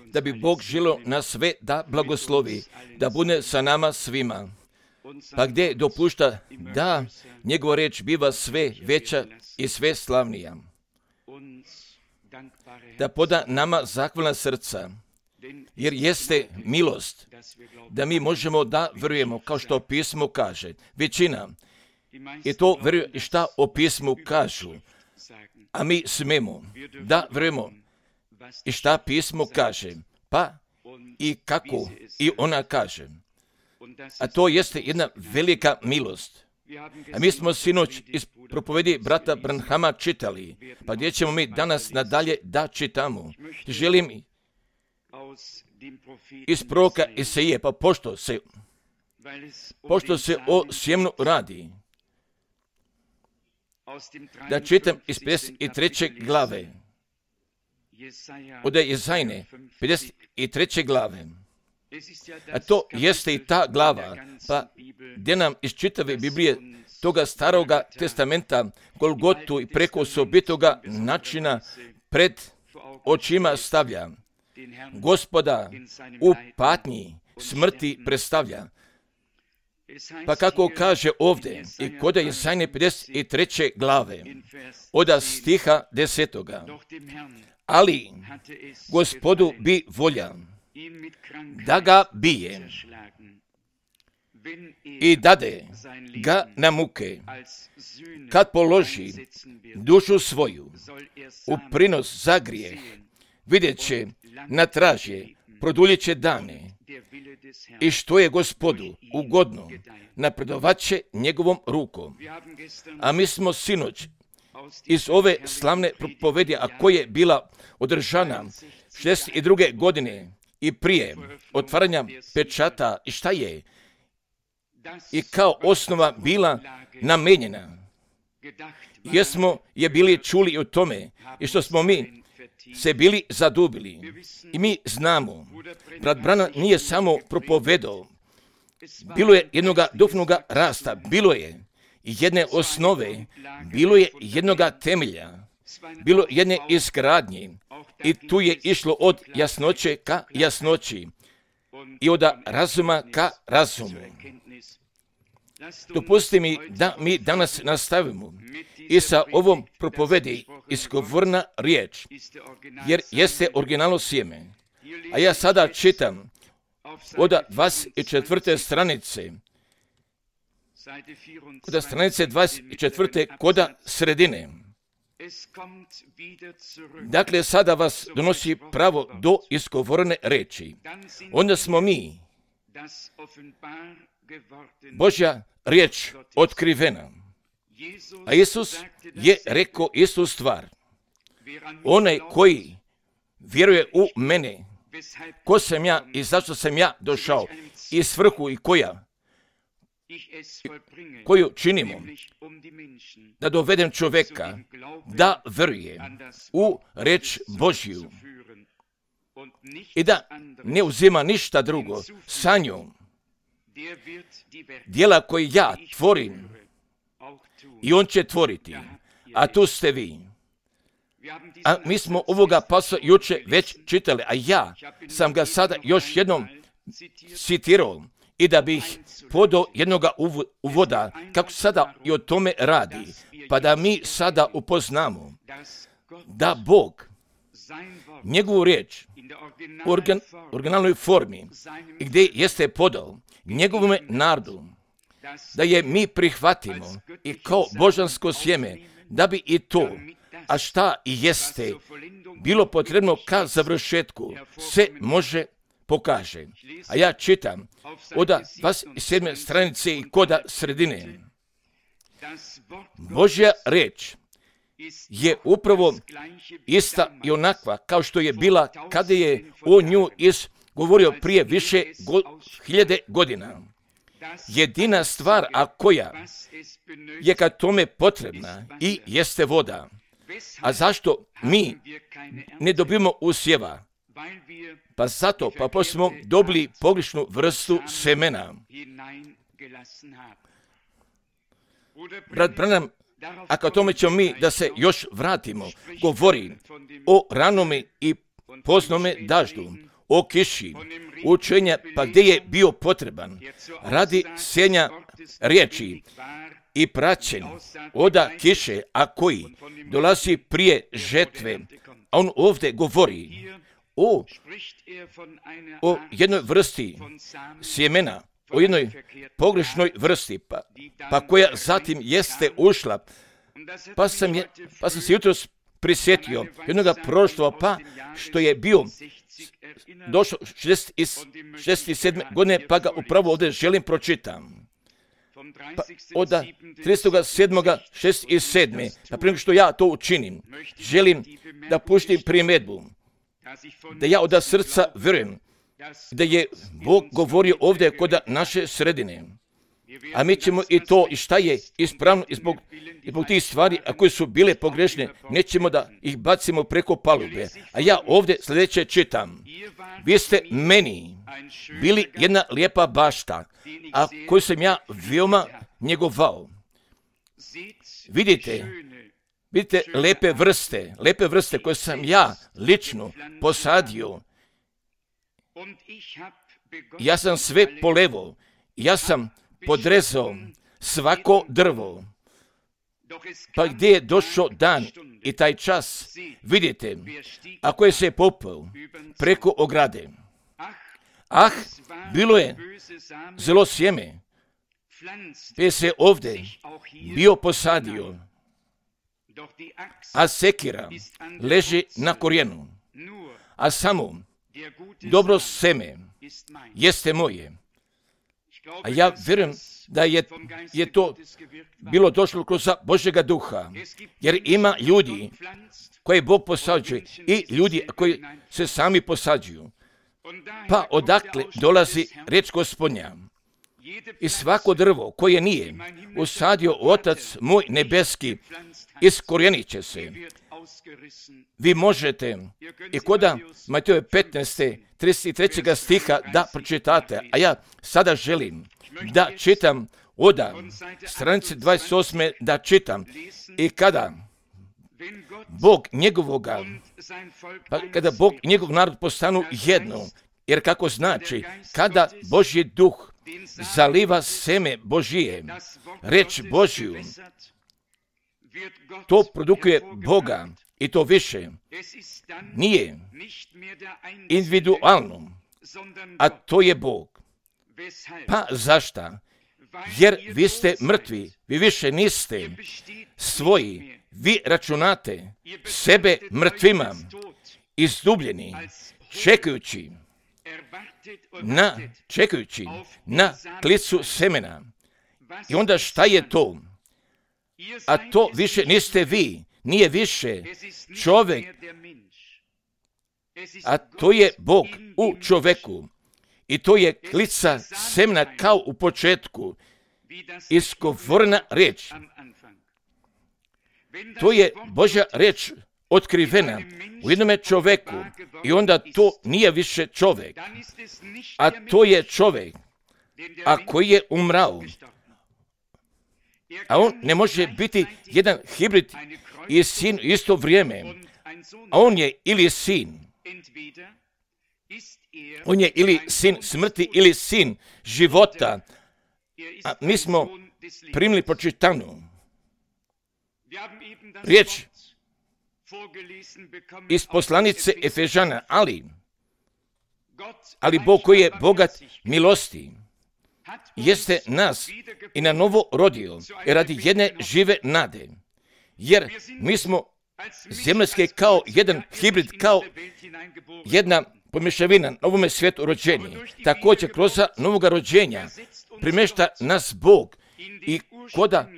da bi Bog želio nas sve da blagoslovi, da bude sa nama svima. Pa gdje dopušta da njegova riječ biva sve veća i sve slavnija. Da poda nama zahvalna srca, jer jeste milost da mi možemo da vjerujemo, kao što pismo kaže. Većina i to vjeruje i šta o pismu kažu, a mi smemo da vjerujemo i šta pismo kaže, pa i kako i ona kaže. A to jeste jedna velika milost. A mi smo sinoć iz propovedi brata Branhama čitali, pa gdje ćemo mi danas nadalje da čitamo. Želim iz proroka Isaije, pa pošto se o sjemnu radi, da čitam iz 53. glave, od Jezajne, 53. glave. A to jeste i ta glava, pa gdje nam iz čitave Biblije toga staroga testamenta Golgotu i preko osobitoga načina pred očima stavlja. Gospoda u patnji smrti predstavlja. Pa kako kaže ovdje i kod Jezajne 53. glave, od stiha 10. Ali Gospodu bi volja da ga bije i dade ga na muke, kad položi dušu svoju u prinos za grijeh, vidjet će na tražje, produljit će dane i što je Gospodu ugodno, napredovat će njegovom rukom. A mi smo sinoć iz ove slavne propovedi, a koja je bila održana 62. godine i prije otvaranja pečata i šta je i kao osnova bila namenjena. Jesmo je bili čuli o tome i što smo mi se bili zadubili. I mi znamo, brat Branham nije samo propovedao, bilo je jednoga duhovnoga rasta, bilo je jedne osnove, bilo je jednoga temelja, bilo jedne izgradnje i tu je išlo od jasnoće ka jasnoći i od razuma ka razumu. Dopusti mi da mi danas nastavimo i sa ovom propovedi izgovorna riječ, jer jeste originalno sjeme. A ja sada čitam od 24. stranice, kod stranice 24. koda sredine. Dakle, sada vas donosi pravo do izgovorene reči. Onda smo mi, Božja riječ otkrivena. A Isus je rekao istu stvar. Onaj koji vjeruje u mene, ko sam ja i zašto sam ja došao, i svrhu i koju činimo, da dovedem čovjeka da vjeruje u reč Božju i da ne uzima ništa drugo sa njom. Djela koje ja tvorim i on će tvoriti, a tu ste vi. A mi smo ovoga pasa juče već čitali, a ja sam ga sada još jednom citirao i da bih podao jednoga uvoda kako sada i o tome radi, pa da mi sada upoznamo da Bog njegovu riječ u originalnoj formi gdje jeste podao njegovome narodu, da je mi prihvatimo i kao božansko sjeme, da bi i to, a šta i jeste, bilo potrebno ka završetku, se može pokaže. A ja čitam od 27. stranice i koda sredine. Božja riječ je upravo ista i onakva kao što je bila kada je o nju govorio prije više hiljade godina. Jedina stvar, a koja je ka tome potrebna i jeste voda. A zašto mi ne dobimo usjeva? Pa zato, pa smo dobili pogrešnu vrstu semena. Brat Branham, a ka tome ćemo mi da se još vratimo, govori o ranome i poznome daždu, o kiši, učenja pa gdje je bio potreban, radi sjenja riječi i praćen oda kiše, a koji dolazi prije žetve. A on ovdje govori o jednoj vrsti sjemena, o jednoj pogrešnoj vrsti, pa koja zatim jeste ušla. Pa sam se jutros prisjetio jednoga prošloga, pa što je bio došao 67. godine, pa ga upravo ovdje želim pročitam. Pa od 37.67. pa prije što ja to učinim, želim da puštim primjedbu, da ja od srca vjerujem da je Bog govorio ovdje kod naše sredine. A mi ćemo i to, i šta je ispravno, i zbog tih stvari, a koje su bile pogrešne, nećemo da ih bacimo preko palube. A ja ovdje sljedeće čitam. Vi ste meni bili jedna lijepa bašta, a koju sam ja veoma njegovao. Vidite lepe vrste koje sam ja lično posadio. Ja sam sve polevao, ja sam podrezao svako drvo. Pa gdje je došao dan i taj čas, vidite, ako je se popeo preko ograde. Bilo je zelo sjeme, pe se ovdje bio posadio, a sekira leži na korijenu, a samo dobro seme jeste moje. A ja vjerujem da je to bilo došlo kroz Božjega duha, jer ima ljudi koje Bog posađuje i ljudi koji se sami posađuju. Pa odakle dolazi riječ Gospodnja? I svako drvo koje nije usadio Otac moj nebeski, iskorijenit će se. Vi možete i koda Mateja 15. 33. stiha da pročitate, a ja sada želim da čitam od stranice 28. da čitam. I kada Bog njegovoga, kada Bog i njegov narod postanu jedno, jer kako znači, kada Božji duh zaliva seme Božije, reč Božju, to produkuje Boga i to više nije individualno, a to je Bog. Pa zašta? Jer vi ste mrtvi, vi više niste svoji, vi računate sebe mrtvima, izdubljeni, čekajući na klicu semena. I onda šta je to? A to više niste vi, nije više čovjek, a to je Bog u čovjeku. I to je klica semena kao u početku, izgovorena riječ. To je Božja riječ otkrivena u jednome čovjeku i onda to nije više čovjek, a to je čovjek, a koji je umrao. A on ne može biti jedan hibrid i sin u isto vrijeme, a on je ili sin. On je ili sin smrti ili sin života. A mi smo primili pročitanu riječ iz poslanice Efežana, ali Bog koji je bogat milosti, jeste nas i na novo rodio radi jedne žive nade. Jer mi smo zemaljske kao jedan hibrid, kao jedna pomješavina novome svijetu rođeni. Također kroz novoga rođenja primješta nas Bog i koda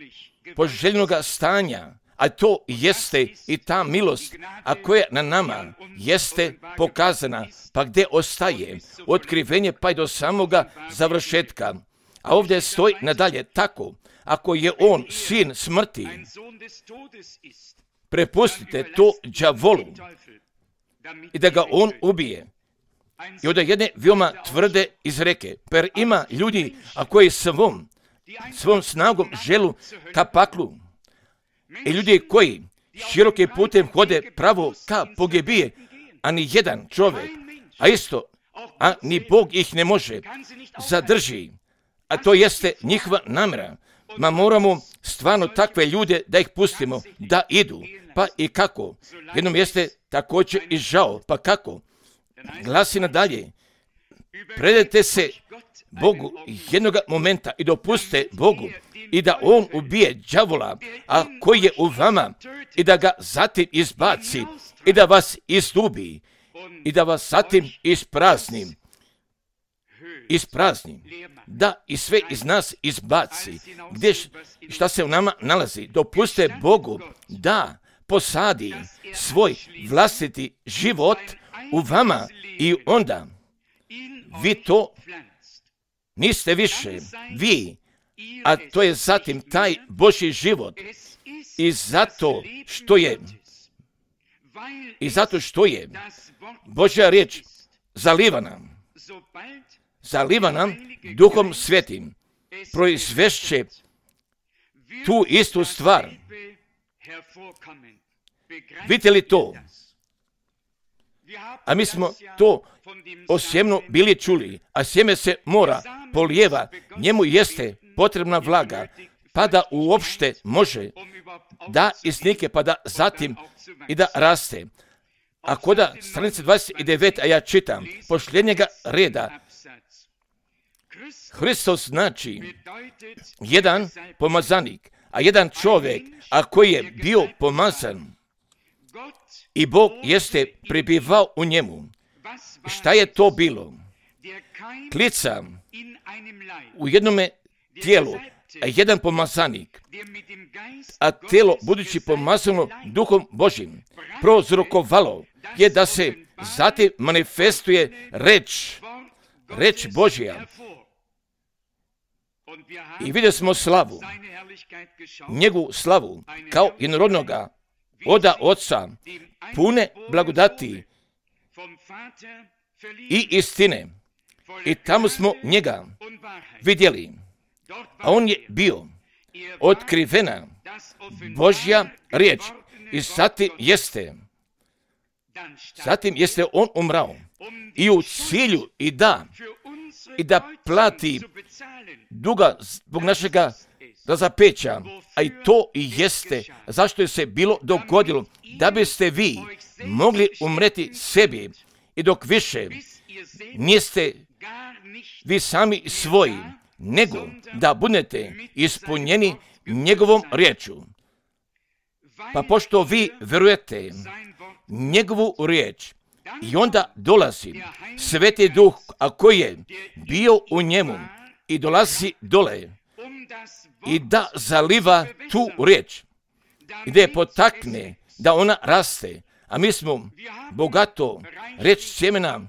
poželjnoga stanja, a to jeste i ta milost, a koja na nama jeste pokazana, pa gdje ostaje otkrivenje pa i do samoga završetka. A ovdje stoji nadalje tako, ako je on sin smrti, prepustite to đavolu i da ga on ubije. I od jedne veoma tvrde izreke, per ima ljudi, a koji svom snagom želu ka paklu, i ljudi koji širokim putem hode pravo ka pogibije, a ni jedan čovjek, a ni Bog ih ne može zadrži, a to jeste njihova namjera. Moramo stvarno takve ljude da ih pustimo, da idu. Pa i kako? Jednom jeste također i žao. Pa kako? Glasi nadalje. Predajte se Bogu jednoga momenta i dopuste Bogu i da On ubije đavola, a koji je u vama, i da ga zatim izbaci i da vas izgubi i da vas zatim isprazni. Da i sve iz nas izbaci. Šta se u nama nalazi? Dopuste Bogu da posadi svoj vlastiti život u vama i onda vi to niste više vi, a to je zatim taj Božji život. I zato što je Božja riječ zaliva nam Duhom Svetim, proizvešće tu istu stvar. Vidite li to? A mi smo to o sjemenu bili čuli, a sjeme se mora polijeva, njemu jeste potrebna vlaga, pa da uopšte može da isnike, pa da zatim i da raste. A koda stranice 29, a ja čitam, posljednjega reda, Hristos znači jedan pomazanik, a jedan čovjek, a koji je bio pomazan i Bog jeste prebivao u njemu. Šta je to bilo? Klica u jednome tijelu, a jedan pomazanik, a tijelo budući pomazano Duhom Božjim prozrokovalo je da se zatim manifestuje reč Božja. I vidjeli smo njegovu slavu kao jednorodnoga oda Oca, pune blagodati i istine. I tamo smo njega vidjeli, a on je bio otkrivena Božja riječ i zatim jeste on umrao i u cilju i da plati duga zbog našega razapeća, a i to i jeste zašto je se bilo dogodilo, da biste vi mogli umreti sebi i dok više niste vi sami svoji, nego da budete ispunjeni njegovom riječu. Pa pošto vi verujete njegovu riječ, i onda dolazi Sveti Duh, a koji je bio u njemu i dolazi dole i da zaliva tu riječ i da je potakne da ona raste. A mi smo bogato riječ sjemena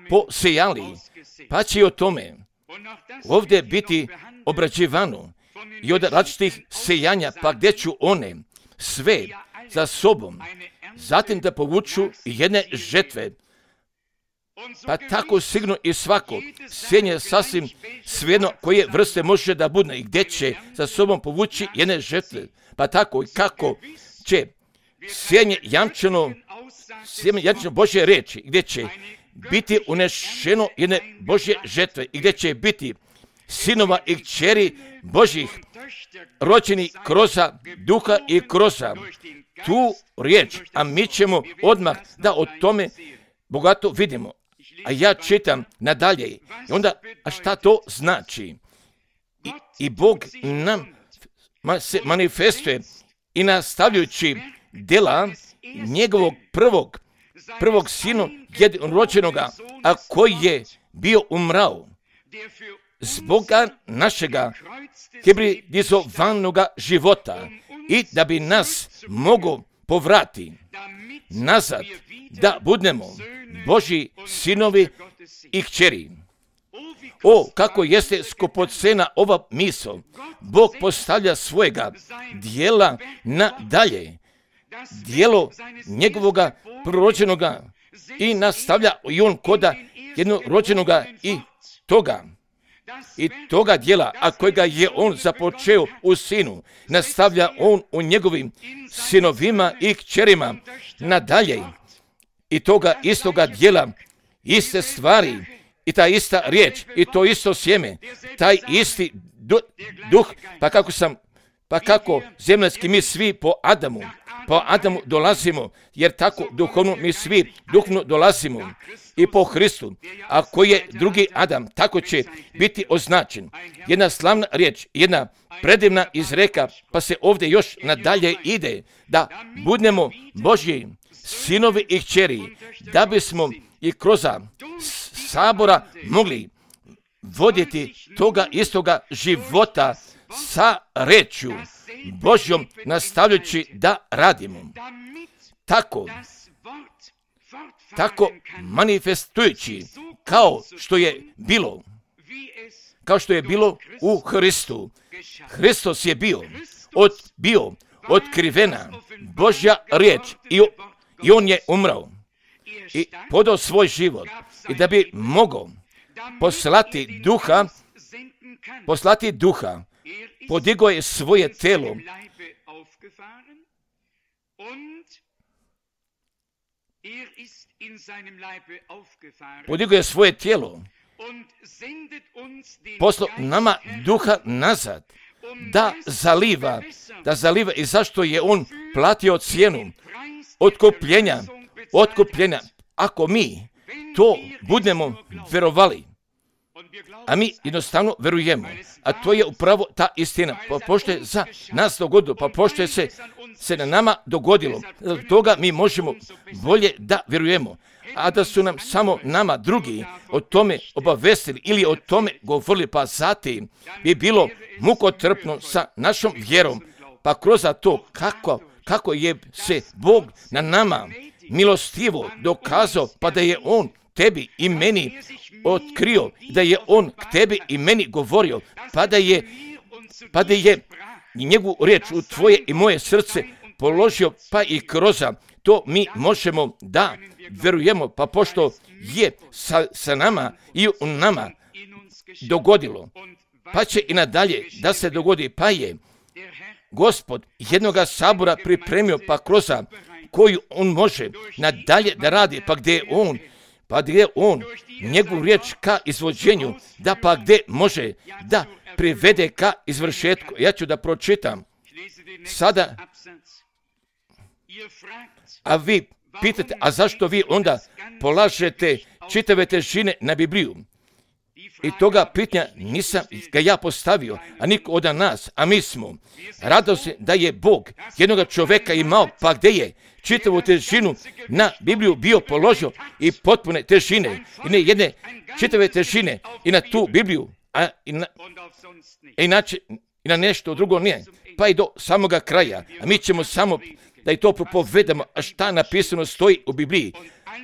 posejali, pa će o tome ovdje biti obrađivano i od različitih sejanja, pa gdje ću one sve za sobom zatim da povuču jedne žetve. Pa tako sigurno i svako sjenje sasvim svejedno koje vrste može da bude i gdje će za sobom povući jedne žetve. Pa tako i kako će sjenje jamčeno Božje riječi, gdje će biti unešeno jedne Božje žetve i gdje će biti sinova i kćeri Božjih rođeni kroz Duha i kroz tu riječ, a mi ćemo odmah da o tome bogato vidimo. A ja čitam nadalje i onda, a šta to znači? I Bog nam se manifestuje i nastavljajući djela njegovog prvog sina jednorođenoga, a koji je bio umrao zboga našega hibridizovanoga života i da bi nas mogo povrati nazad, da budemo Božji sinovi i kćeri. O, kako jeste skupocena ova misao. Bog postavlja svojega dijela nadalje, dijelo njegovoga prorođenoga i nastavlja i on koda jednorođenoga i toga dijela, a kojega je on započeo u sinu, nastavlja on u njegovim sinovima i kćerima nadalje. i toga istoga djela, iste stvari i ta ista riječ i to isto sjeme, taj isti duh, pa kako zemaljski mi svi po Adamu dolazimo, jer tako duhovno mi svi duhovno dolazimo i po Hristu. Ako je drugi Adam, tako će biti označen. Jedna slavna riječ, jedna predivna izreka, pa se ovdje još nadalje ide, da budemo Božji sinovi i kćeri, da bismo i kroz sabora mogli voditi toga istoga života sa rečju Božjom, nastavljajući da radimo. Tako manifestujući kao što je bilo u Hristu. Hristos je bio otkrivena Božja riječ i on je umrao i podao svoj život i da bi mogao poslati duha, podigao je svoje telo poslao nama duha nazad, da zaliva i zašto je on platio cijenu otkupljenja. Ako mi to budemo verovali, a mi jednostavno verujemo, a to je upravo ta istina, pa pošto je za nas dogodilo, pa pošto je se na nama dogodilo, zbog toga mi možemo bolje da verujemo, a da su nam samo nama drugi o tome obavestili ili o tome govorili, pa zatim bi bilo mukotrpno sa našom vjerom, pa kroz to kako je se Bog na nama milostivo dokazao, pa da je on tebi i meni otkrio, da je on k tebi i meni govorio, pa da je njegovu riječ u tvoje i moje srce položio, pa i kroz to mi možemo da verujemo, pa pošto je sa nama i u nama dogodilo, pa će i nadalje da se dogodi, pa je Gospod jednoga sabora pripremio, pa kroz koju on može nadalje da radi, pa gdje je on njegovu riječ ka izvođenju, da pa gdje može da privede ka izvršetku. Ja ću da pročitam sada, a vi pitate, a zašto vi onda polažete čitave težine na Bibliju? I toga pitanja nisam ga ja postavio, a niko od nas, a mi smo radosti da je Bog jednoga čoveka imao, pa gdje je čitavu težinu na Bibliju bio položio i potpune težine, i ne jedne čitave težine i na tu Bibliju, a inače i na nešto drugo nije, pa i do samoga kraja, a mi ćemo samo da i to propovedamo, a šta napisano stoji u Bibliji,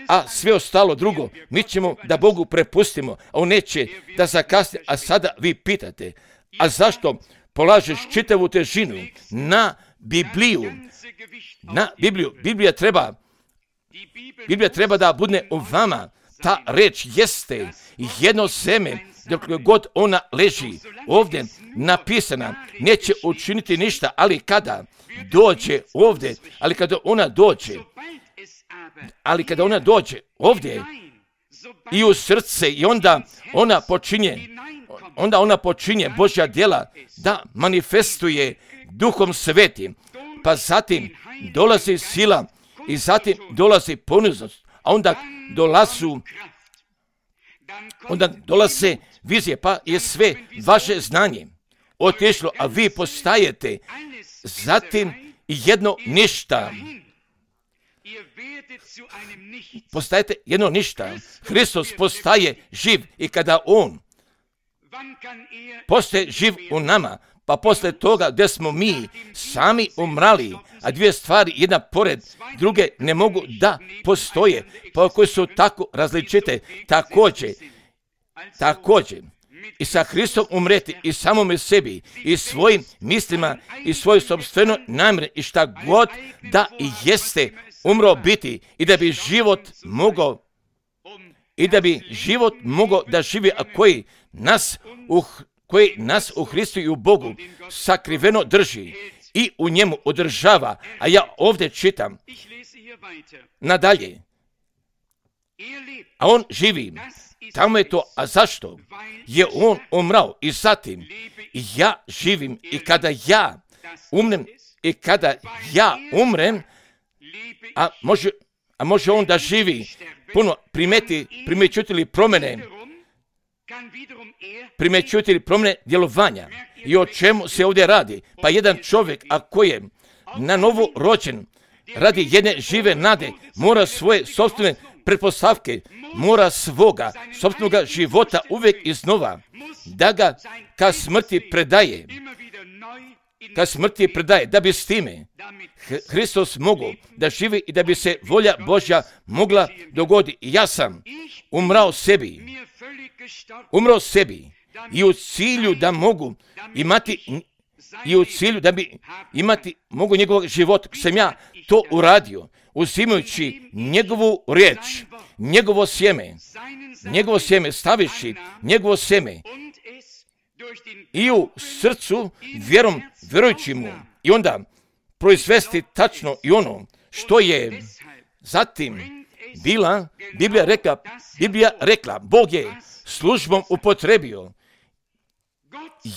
a sve ostalo drugo, mi ćemo da Bogu prepustimo, a on neće da zakasni. A sada vi pitate, a zašto polažeš čitavu težinu na Bibliju? Na Bibliju. Biblija treba da bude u vama. Ta reč jeste jedno seme, dok god ona leži ovdje napisana, neće učiniti ništa, ali kada dođe ovdje, kada ona dođe ovdje i u srce, i onda ona počinje Božja djela da manifestuje Duhom Svetim, pa zatim dolazi sila i zatim dolazi poniznost, a onda dolaze vizije, pa je sve vaše znanje otišlo, a vi postajete zatim jedno ništa. Postajete jedno ništa. Hristos postaje živ i kada on postaje živ u nama, pa posle toga gdje smo mi sami umrali, a dvije stvari jedna pored druge ne mogu da postoje, pa koje su tako različite, također i sa Hristom umreti i samome sebi i svojim mislima i svoju sopstvenu namjeru i šta god da i jeste umro biti, i da bi život mogao da živi, a koji nas u Hristu i u Bogu sakriveno drži i u njemu održava. A ja ovdje čitam nadalje, A on živi. Tamo je to. A zašto? Je on umrao i zatim ja živim i kada ja umrem i kada ja umrem, a može on da živi puno, primećujete li promjene djelovanja? I o čemu se ovdje radi? Pa jedan čovjek, ako je na novo rođen, radi jedne žive nade, mora svoje sopstvene pretpostavke, mora svoga sopstvenoga života uvijek iznova, da ga ka smrti predaje, da bi s time Hristos mogao da živi i da bi se volja Božja mogla dogoditi. Ja sam umrao sebi i u cilju da mogu imati mogu njegovog života, sam ja to uradio, uzimajući njegovu riječ, njegovo sjeme, staviši njegovo sjeme i u srcu vjerujući mu i onda proizvesti tačno i ono što je zatim Biblija rekla, Bog je službom upotrebio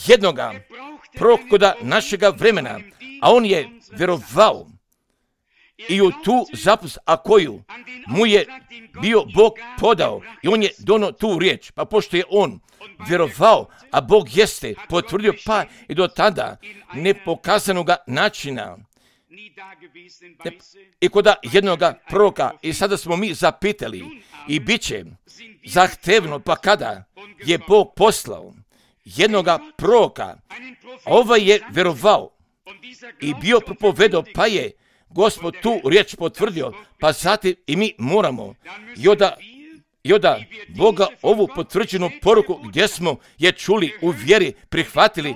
jednoga proroka našega vremena, a on je vjerovao i u tu zapovijed, a koju mu je bio Bog podao i on je donio tu riječ, pa pošto je on vjerovao, a Bog jeste potvrdio, pa i do tada nepokazanoga načina i kod jednoga proroka. I sada smo mi zapitali i bit će zahtevno, pa kada je Bog poslao jednoga proroka, ovaj je vjerovao i bio propovedao, pa je Gospod tu riječ potvrdio, pa zatim i mi moramo i onda Boga ovu potvrđenu poruku gdje smo je čuli u vjeri, prihvatili,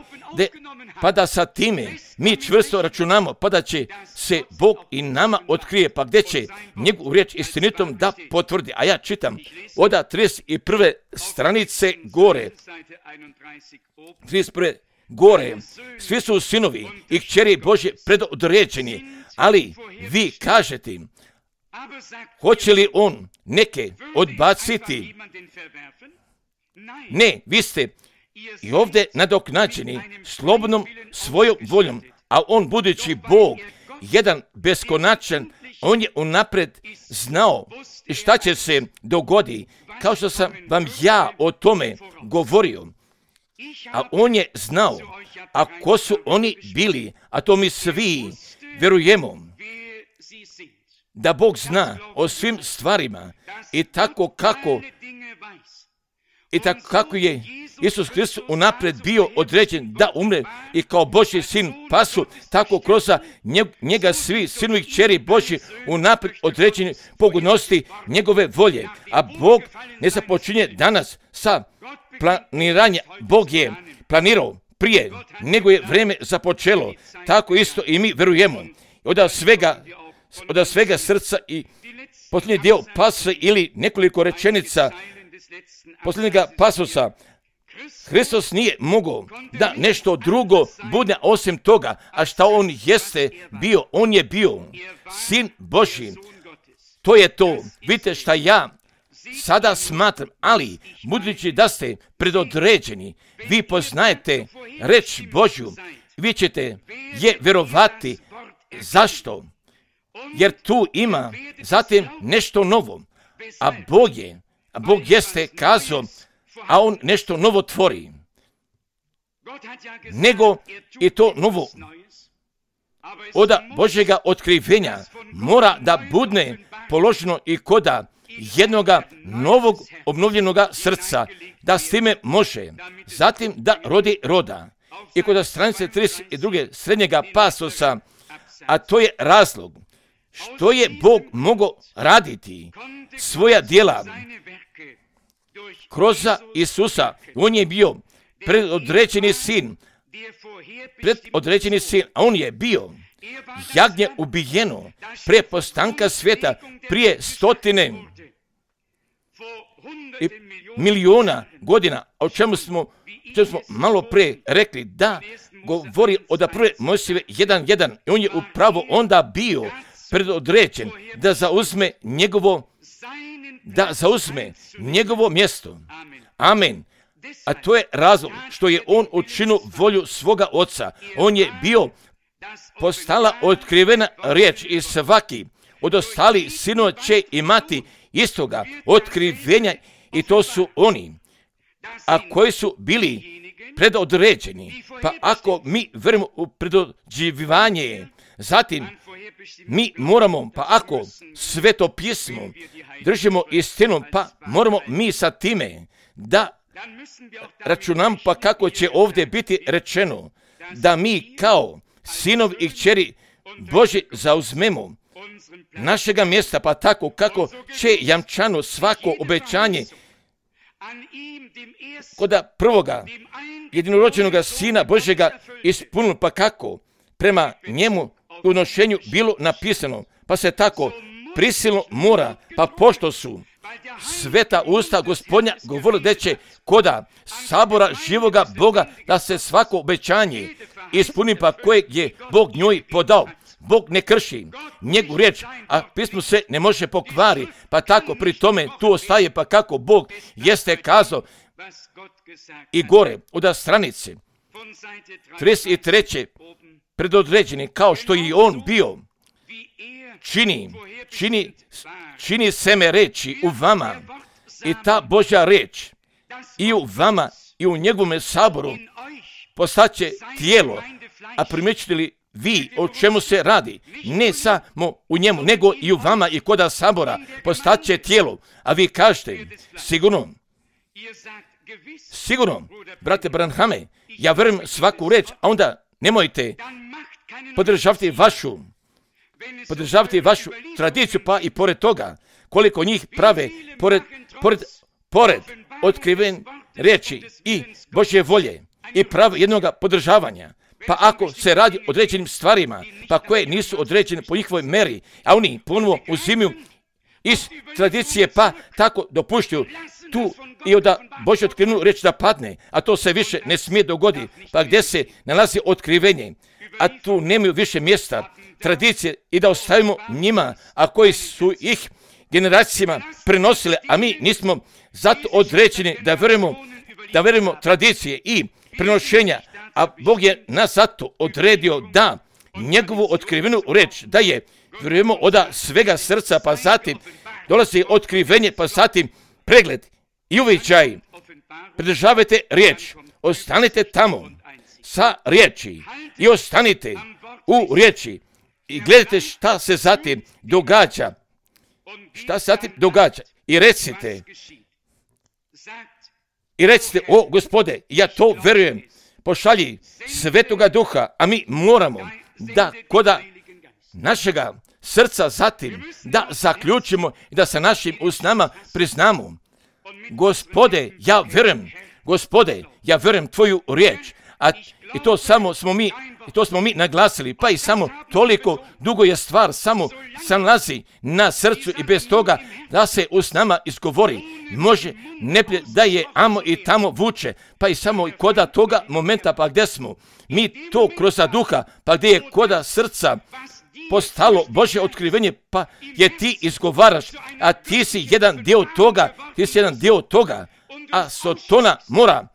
pa da sa time mi čvrsto računamo, pa da će se Bog i nama otkrije, pa gdje će njegovu riječ istinitom da potvrdi. A ja čitam od 31. stranice gore, 31. gore, svi su sinovi i kćeri Božje predodređeni, ali vi kažete, hoće li on neke odbaciti? Ne, vi ste i ovdje nadoknađeni slobodnom svojom voljom, a on budući Bog, jedan beskonačan, on je unaprijed znao šta će se dogoditi, kao što sam vam ja o tome govorio. A on je znao, a ko su oni bili, a to mi svi vjerujemo, da Bog zna o svim stvarima i tako kako je Isus Kristus unaprijed bio određen da umre i kao Božji sin pasu, tako kroz njega svi sinovi i kćeri Božji unaprijed određeni pogodnosti njegove volje. A Bog ne započinje danas sa planiranjem. Bog je planirao prije nego je vrijeme započelo. Tako isto i mi vjerujemo. Od svega srca i posljednji dio pasa ili nekoliko rečenica posljednjega pasusa. Hristos nije mogao da nešto drugo bude osim toga, a šta on jeste bio, on je bio sin Božji. To je to. Vidite šta ja sada smatram, ali budući da ste predodređeni, vi poznajete reč Božju, vi ćete je vjerovati. Zašto? Jer tu ima zatim nešto novo, a Bog jeste kazao, a on nešto novo tvori. Nego i to novo od Božjega otkrivenja mora da bude položeno i koda jednoga novog obnovljenoga srca, da s time može zatim da rodi roda. I kod stranice 32. srednjega pasusa, a to je razlog što je Bog mogao raditi svoja djela kroz Isusa. On je bio predodređeni sin, a on je bio jagnje ubijeno prije postanka svijeta, prije 100 milijuna godina, o čemu smo malo prije rekli, da govori od prve Mojsijeve 1.1. I on je upravo onda bio predodređen da zauzme njegovo da zauzme njegovo mjesto. Amen. A to je razlog što je on učinio volju svoga oca. On je bio postala otkrivena riječ i svaki od ostalih sinova će imati istoga otkrivenja i to su oni, a koji su bili predodređeni. Pa ako mi vjerujemo u predodređivanje, zatim mi moramo, pa ako Sveto pismo držimo istinom, pa moramo mi sa time da računam, pa kako će ovdje biti rečeno, da mi kao sinovi i kćeri Božji zauzmemo našega mjesta, pa tako kako će jamčano svako obećanje kod prvoga jedinorođenoga Sina Božjega ispunilo, pa kako prema njemu u nošenju bilo napisano, pa se tako prisilno mora, pa pošto su sveta usta Gospodnja govorili da će koda sabora živoga Boga da se svako obećanje ispuni, pa kojeg je Bog njoj podao. Bog ne krši njegovu riječ, a pismo se ne može pokvari, pa tako pri tome tu ostaje, pa kako Bog jeste kazao. I gore od stranice 33. predodređeni, kao što i on bio, čini seme reči u vama i ta Božja reč i u vama i u njegovom saboru postaće tijelo. A primjećujete li vi o čemu se radi? Ne samo u njemu, nego i u vama i koda sabora postaće tijelo. A vi kažete, sigurno, brate Branhame, ja vjerujem svaku reč, a onda nemojte podržavati vašu tradiciju, pa i pored toga, koliko njih prave, pored otkriven riječi i Božje volje i prave jednoga podržavanja. Pa ako se radi o određenim stvarima, pa koje nisu određene po njihovoj meri, a oni ponovo uzimaju iz tradicije, pa tako dopuštaju tu i da Božje otkrivenu riječ da padne, a to se više ne smije dogoditi, pa gdje se nalazi otkrivenje, a tu nemaju više mjesta tradicije i da ostavimo njima, a koji su ih generacijama prenosile, a mi nismo zato određeni da vjerujemo tradicije i prenošenja, a Bog je nas zato odredio da njegovu otkrivenu reč da je vjerujemo od svega srca, pa zatim dolazi otkrivenje, pa zatim pregled i uviđaj. Pridržavajte riječ, ostanite tamo sa riječi i ostanite u riječi i gledajte šta se zatim događa. I recite, o Gospode, ja to vjerujem, pošalji Svetoga Duha, a mi moramo da koda našega srca zatim da zaključimo i da sa našim usnama priznamo, Gospode, ja vjerujem tvoju riječ, i to smo mi naglasili, pa i samo toliko dugo je stvar, samo se nalazi na srcu i bez toga da se usnama izgovori. Može ne da je amo i tamo vuče, pa i samo koda toga momenta, pa gdje smo mi to kroz duha, pa gdje je koda srca postalo Božje otkrivenje, pa je ti izgovaraš, a ti si jedan dio toga, a Sotona mora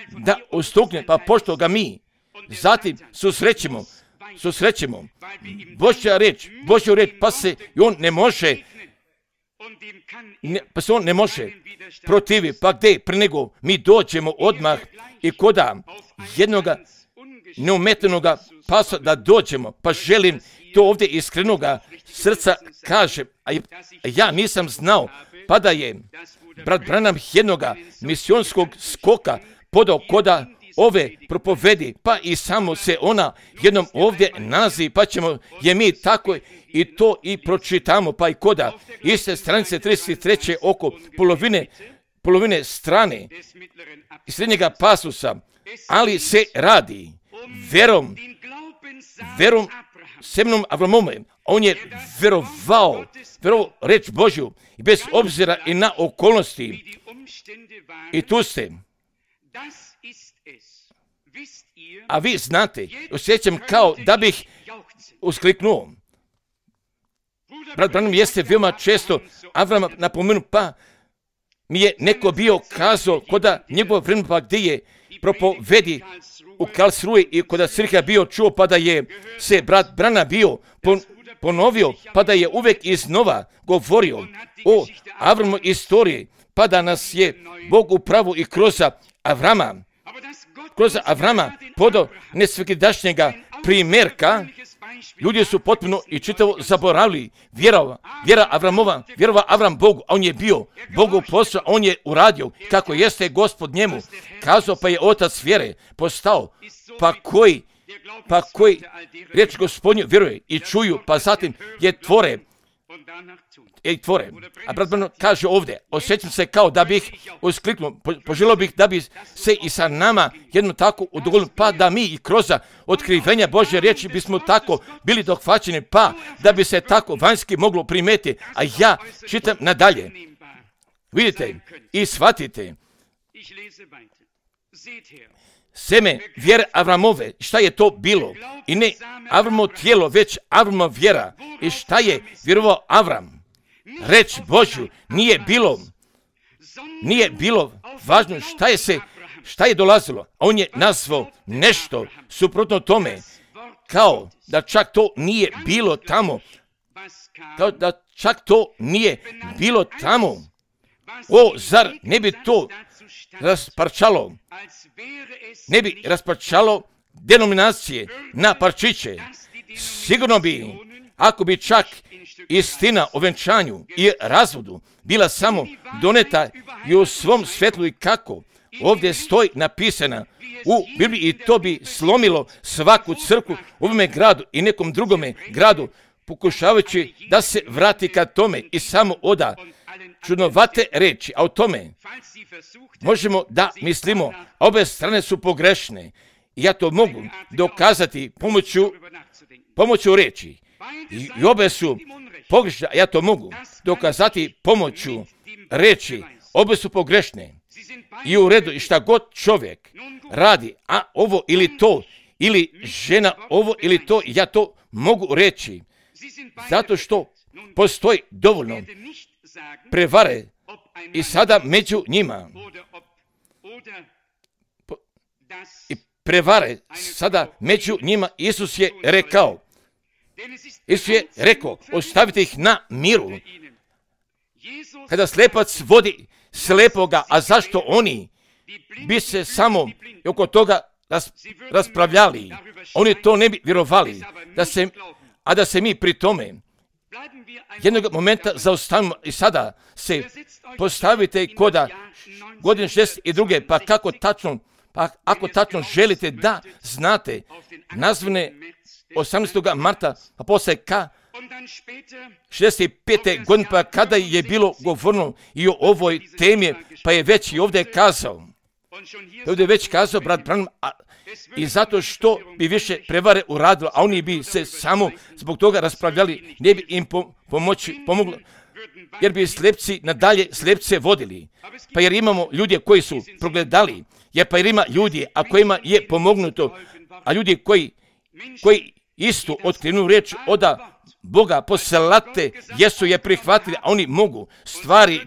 da ustukne, pa pošto ga mi zatim susrećemo Božja riječ, pa se on ne može protivi, pa gdje pre nego mi dođemo odmah i koda jednoga neumetenoga pasa da dođemo, pa želim to ovdje iskrenoga srca kažem, a ja nisam znao, pa da je brat Branham jednoga misionskog skoka podao koda ove propovedi, pa i samo se ona jednom ovdje nalazi, pa ćemo je mi tako i to i pročitamo, pa i koda iste stranice 33. oko polovine strane i srednjega pasusa, ali se radi verom semnom Avramome. On je verovao reč Božju i bez obzira i na okolnosti. I tu ste. A vi znate, osjećam kao da bih uskliknuo. brat Branham jeste veoma često Avrama napomenu, pa mi je neko bio kazao koda njegov vremena, pa gdje je propovedi u Karlsruhe i koda Sirha bio čuo, pa da je se brat Branham bio ponovio, pa da je uvek iznova govorio o Avramu istoriji, pa da nas je Bog upravo i kroz Avrama podao nesvakidašnjega primjerka. Ljudi su potpuno i čitavo zaboravili vjera Avramova, vjerova Avram Bogu, a on je bio Bogu poslao, on je uradio kako jeste Gospod njemu kazao, pa je otac vjere postao, pa koji riječ Gospodnju vjeruje i čuju, pa zatim je tvore. A brat Branham kaže ovdje, osjećam se kao da bih uskliknuo, poželio bih da bi se i sa nama jedno tako udovoljilo, pa da mi i kroz otkrivenja Božje riječi bismo tako bili dohvaćeni, pa da bi se tako vanjski moglo primeti. A ja čitam nadalje. Vidite i shvatite. Seme vjere Avramove, šta je to bilo? I ne Avramo tijelo, već Avramo vjera. I šta je vjerovao Avram? Reč Božju nije bilo važno šta je dolazilo. A on je nazvao nešto suprotno tome, kao da čak to nije bilo tamo. O, zar ne bi to rasparčalo denominacije na parčiće? Sigurno bi, ako bi čak istina o venčanju i razvodu bila samo doneta i u svom svetlu i kako ovdje stoji napisana u Bibliji, i to bi slomilo svaku crkvu u ovome gradu i nekom drugome gradu, pokušavajući da se vrati ka tome i samo oda čudnovate reči, a o tome možemo da mislimo, a obe strane su pogrešne. I ja to mogu dokazati pomoću reči. I obe su pogrešne, a ja to mogu dokazati pomoću reči. Obe su pogrešne. I u redu, i šta god čovjek radi, a ovo ili to, ili žena ovo ili to, ja to mogu reći. Zato što postoji dovoljno prevare i sada među njima. Isus je rekao, ostavite ih na miru. Kada slepac vodi slepoga, a zašto oni bi se samo oko toga raspravljali? Oni to ne bi vjerovali, da se mi pri tome jednog momenta zaustavimo i sada se postavite koda godine 62. Pa kako tačno, ako tačno želite da znate nazvane 18. marta, pa poslije 65. godine, pa kada je bilo govorno i o ovoj temi, pa je već i ovdje kazao. Brat Branham, i zato što bi više prevare uradilo, a oni bi se samo zbog toga raspravljali, ne bi im pomoglo, jer bi slepci nadalje slepce vodili. Pa jer imamo ljude koji su progledali, pa jer ima ljudi, a kojima je pomognuto, a ljudi koji istu otkrivnu riječ oda Boga poslate, jesu je prihvatili, a oni mogu stvari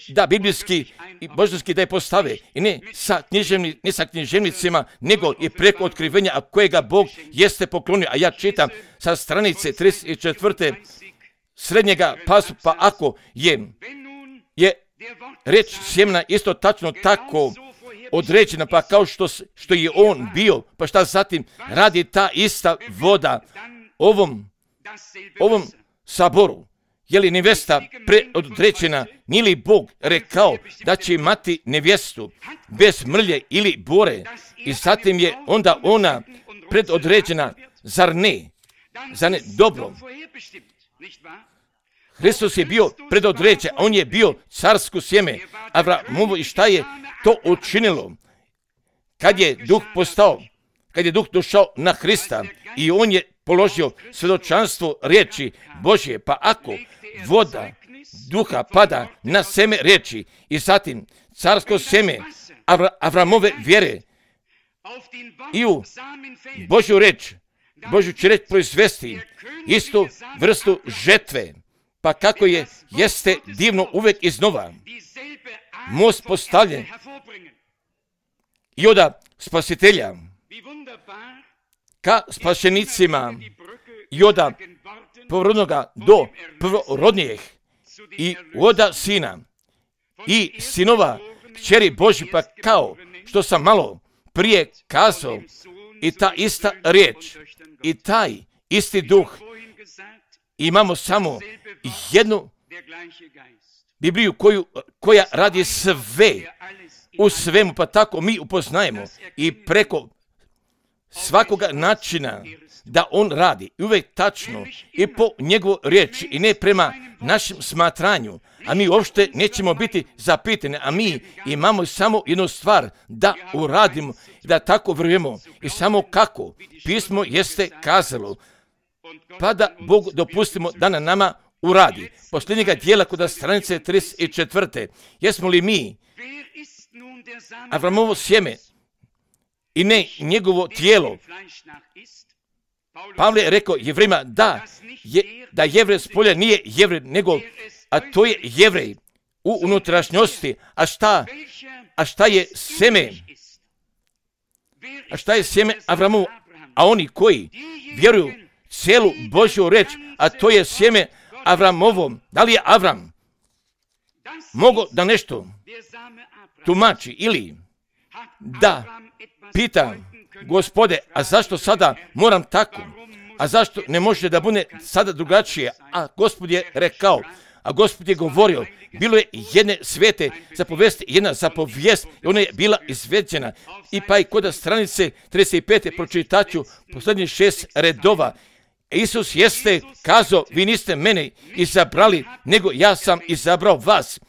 da biblijski i božanski da je postave, i ne sa književnicima, nego i preko otkrivenja, a kojega Bog jeste poklonio. A ja čitam sa stranice 34. srednjega pasu, pa ako je reč sjemena isto tačno tako određena, pa kao što je on bio, pa šta zatim radi ta ista voda ovom saboru? Je li nevjesta predodređena? Nije li Bog rekao da će imati nevjestu bez mrlje ili bore, i zatim je onda ona predodređena, zar ne dobro? Hristos je bio predodređen, on je bio carsko sjeme Avramovo, i šta je to učinilo? Kad je duh došao na Hrista i on je položio svjedočanstvo riječi Božje, pa ako voda duha pada na seme riječi i zatim carsko sjeme Avramove vjere i u Božju riječ Božju će reč proizvesti istu vrstu žetve. Pa kako jeste divno uvek iznova. Most postavljen i od spasitelja ka spašenicima i od prvorodnoga do prvorodnijih i od sina i sinova kćeri Božji, pa kao što sam malo prije kazao, i ta ista riječ i taj isti duh, imamo samo jednu Bibliju koja radi sve u svemu, pa tako mi upoznajemo i preko svakoga načina da on radi uvijek tačno i po njegovoj riječi i ne prema našem smatranju, a mi uopšte nećemo biti zapitani, a mi imamo samo jednu stvar da uradimo, da tako vjerujemo i samo kako pismo jeste kazalo, pa da Bog dopustimo da na nama uradi. Posljednjega dijela kod stranice 34. Jesmo li mi Avramovo sjeme i ne njegovo tijelo? Pavle je rekao Jevrejima da Jevrej s polja nije Jevrej, nego, a to je Jevrej u unutrašnjosti. A šta je seme? A šta je sjeme Avramovo? A oni koji vjeruju cijelu Božju reč, a to je sjeme Avramovom. Da li je Avram mogao da nešto tumači ili da pita Gospode, a zašto sada moram tako? A zašto ne može da bude sada drugačije? A Gospod je rekao, a Gospod je govorio, bilo je jedne svete zapovijesti, jedna zapovijest i ona je bila izveđena. I pa i kod stranice 35. pročitaću posljednjih 6 redova. Isus jeste kazao, vi niste mene izabrali, nego ja sam izabrao vas.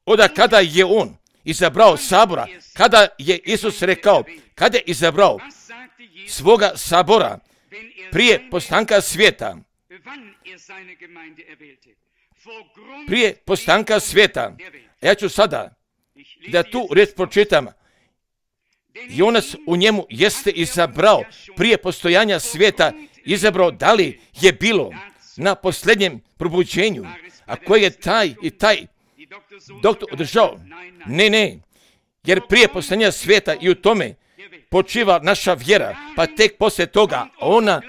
Oda kada je on izabrao sabora, kada je Isus rekao, kada je izabrao svoga sabora prije postanka svijeta, prije postanka svijeta, ja ću sada da tu riječ pročitam, Jonas u njemu jeste izabrao prije postojanja svijeta, izabrao da li je bilo na posljednjem probuđenju, a koji je taj i taj doktor održao? Ne, jer prije postojanja svijeta i u tome počiva naša vjera, pa tek poslije toga ona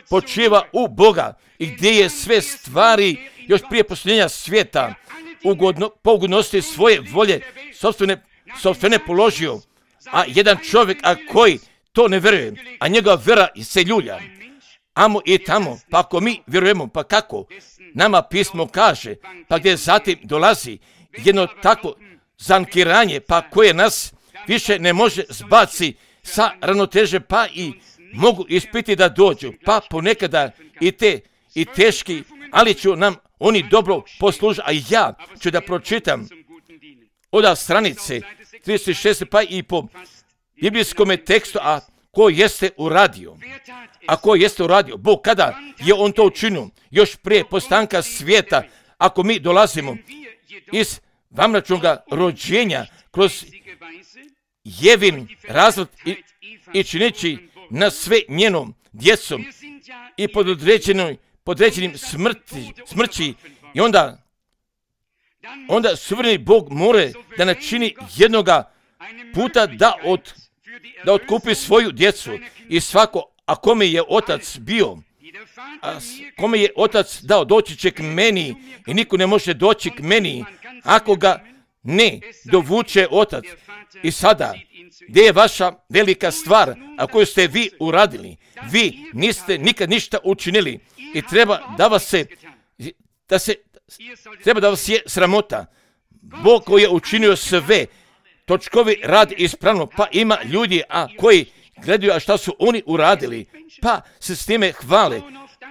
počiva u Boga i gdje je sve stvari još prije postojanja svijeta po ugodnosti svoje volje sopstvene položio, a jedan čovjek koji to ne vjeruje, a njegova vjera se ljulja, amo i tamo, pa ako mi vjerujemo, pa kako nama pismo kaže, pa gdje zatim dolazi jedno tako zankiranje, pa koje nas više ne može zbaci sa ravnoteže, pa i mogu ispiti da dođu, pa ponekada i teški, ali ću nam oni dobro poslužiti, a ja ću da pročitam od stranice 36, pa i po biblijskom tekstu, a ko jeste uradio? Ako jeste uradio, Bog kada je on to učinio, još prije postanka svijeta, ako mi dolazimo iz vamračnoga rođenja kroz Jevin razvod i činići na sve njenom djecom i podređenim smrći i onda suvereni Bog more da načini jednoga puta da otkupi svoju djecu i svako, a kome je otac bio, a kome je otac dao, doći će k meni i niko ne može doći k meni ako ga ne dovuče otac. I sada, gdje je vaša velika stvar, a koju ste vi uradili? Vi niste nikad ništa učinili i treba da vas je sramota. Bog koji je učinio sve, točkovi rad ispravno, pa ima ljudi koji gledaju a šta su oni uradili, pa se s time hvale,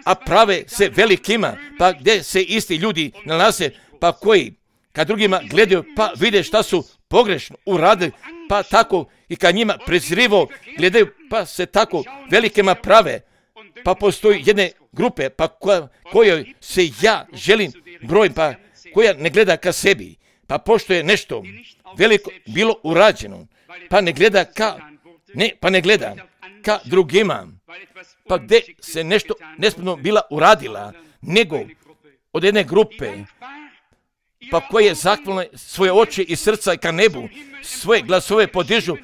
a prave se velikima, pa gdje se isti ljudi nalaze, pa koji kad drugima gledaju, pa vide šta su pogrešno uradili, pa tako i kad njima prezrivo gledaju, pa se tako velikima prave, pa postoji jedne grupe, pa kojoj se ja želim brojim, pa koja ne gleda ka sebi, pa pošto je nešto veliko bilo urađeno, pa ne gleda ka drugima, pa gdje se nešto nespremno bila uradila, nego od jedne grupe, pa koje je zahvalno svoje oči i srca ka nebu, svoje glasove podižu,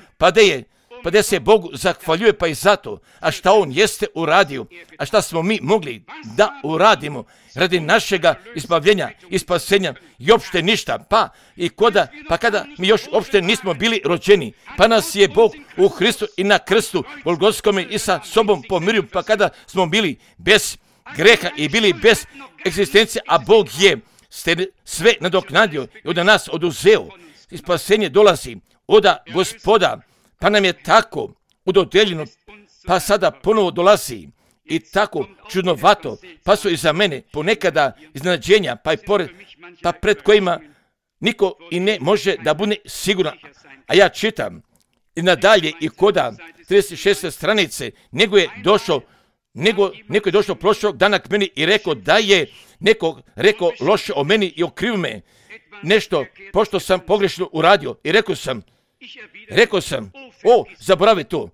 pa da se Bogu zahvaljuje, pa i zato, a šta On jeste uradio, a šta smo mi mogli da uradimo radi našega izbavljenja i spasenja i opšte ništa, pa kada mi još opšte nismo bili rođeni, pa nas je Bog u Hristu i na krstu Golgotskome i sa sobom pomirio, pa kada smo bili bez greha i bili bez egzistencije, a Bog je sve nadoknadio i od nas oduzeo i spasenje dolazi od Gospoda, pa nam je tako udodeljeno, pa sada ponovo dolazi i tako čudnovato, pa su i za mene ponekada iznenađenja, pa pred kojima niko i ne može da bude siguran. A ja čitam i nadalje i koda 36. stranice, neko je došao prošlog dana k meni i rekao da je neko rekao loše o meni i okrivio me nešto, pošto sam pogrešno uradio. I rekao sam, zaboravi to.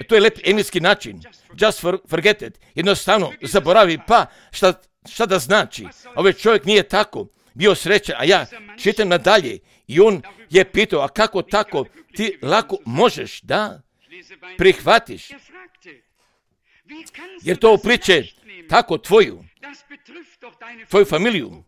To je lep engleski način. Just forget it. Jednostavno, zaboravi, pa šta da znači? Ovaj čovjek nije tako bio srećan, a ja čitam nadalje i on je pitao, a kako tako ti lako možeš da prihvatiš? Jer to upliče tako tvoju familiju.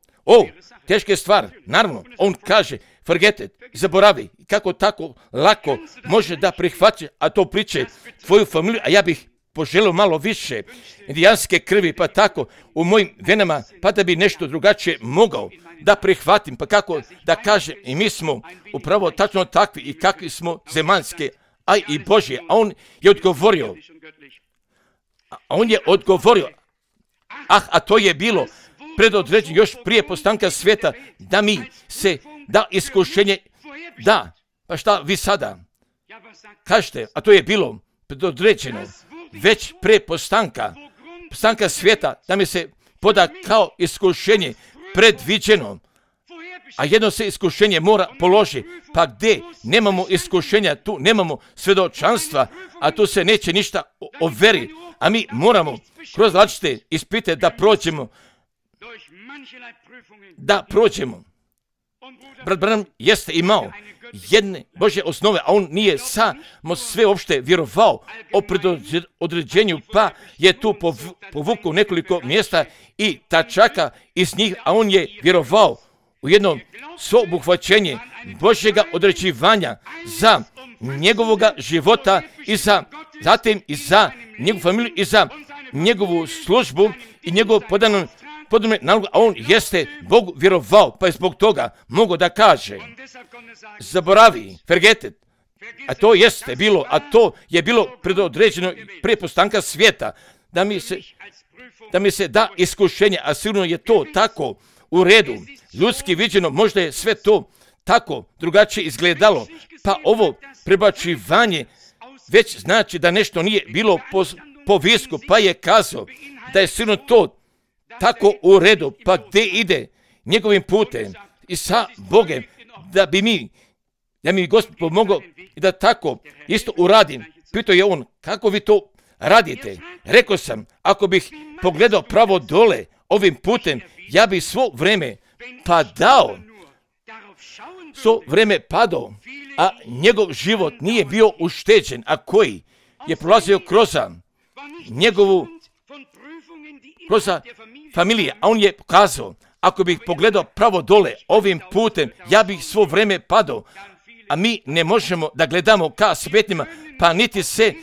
Teška je stvar, naravno, on kaže, forget it, zaboravi, kako tako lako može da prihvati, a to priče tvoju familiju, a ja bih poželio malo više indijanske krvi, pa tako u mojim venama, pa da bi nešto drugačije mogao da prihvatim, pa kako da kažem, i mi smo upravo tačno takvi i kakvi smo zemaljske, a i Božje, a on je odgovorio, a to je bilo predodređeno još prije postanka svijeta, da mi se da iskušenje, da, pa šta vi sada kažete, a to je bilo predodređeno već pre postanka svijeta, da mi se poda kao iskušenje predviđeno, a jedno se iskušenje mora položi, pa gdje nemamo iskušenja, tu nemamo svedočanstva, a tu se neće ništa overi, a mi moramo kroz različite ispite da prođemo. Brat Branham jeste imao jedne Božje osnove, a on nije samo sve opšte vjerovao o predodređenju, pa je tu povukao nekoliko mjesta i tačaka iz njih, a on je vjerovao u jedno sveobuhvaćenje Božjega određivanja za njegovoga života i zatim i za njegovu familiju i za njegovu službu i njegovu podanu nalogu, a on jeste Bogu vjerovao, pa je zbog toga mogao da kaže, zaboravi, forget it, a to jeste bilo, a to je bilo predodređeno prije postanka svijeta, da mi se da iskušenje, a sigurno je to tako u redu, ljudski viđeno, možda je sve to tako drugačije izgledalo, pa ovo prebacivanje već znači da nešto nije bilo po visku, pa je kazao da je sigurno to tako u redu, pa gdje ide njegovim putem i sa Bogem, da mi Gospod pomogao i da tako isto uradim. Pitao je on, kako vi to radite? Rekao sam, ako bih pogledao pravo dole ovim putem, ja bih svo vreme padao, a njegov život nije bio ušteđen, a koji je prolazio kroz familije, a on je pokazao, ako bih pogledao pravo dole ovim putem, ja bih svo vreme padao, a mi ne možemo da gledamo ka smetnjima, pa niti se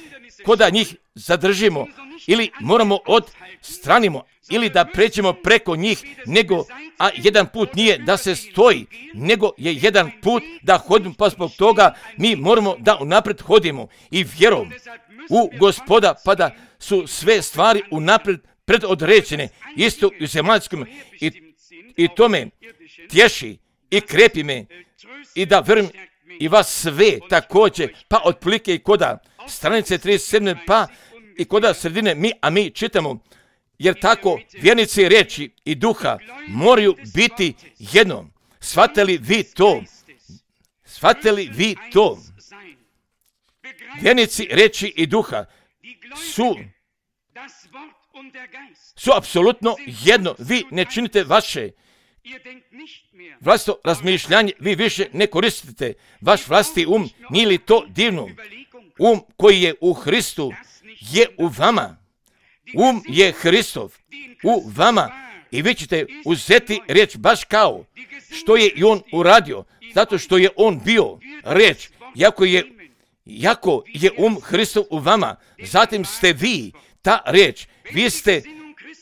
koda njih zadržimo, ili moramo odstranimo, ili da pređemo preko njih, a jedan put nije da se stoji, nego je jedan put da hodimo, pa zbog toga mi moramo da unapred hodimo i vjerom u Gospoda, pa da su sve stvari unapred predodređene, isto u zemaljskom, i to me tješi i krepi me i da verujem i vas sve također, pa otprilike i koda stranice 37, pa i koda sredine mi čitamo, jer tako vjernici riječi i duha moraju biti jedno. Shvatili vi to? Vjernici riječi i duha su apsolutno jedno. Vi ne činite vaše vlastito razmišljanje, vi više ne koristite vaš vlastiti nije li to divno? Koji je u Hristu je u vama. Je Hristov u vama i vi ćete uzeti riječ baš kao što je i on uradio, zato što je on bio riječ, jako je Hristov u vama, zatim ste vi ta riječ,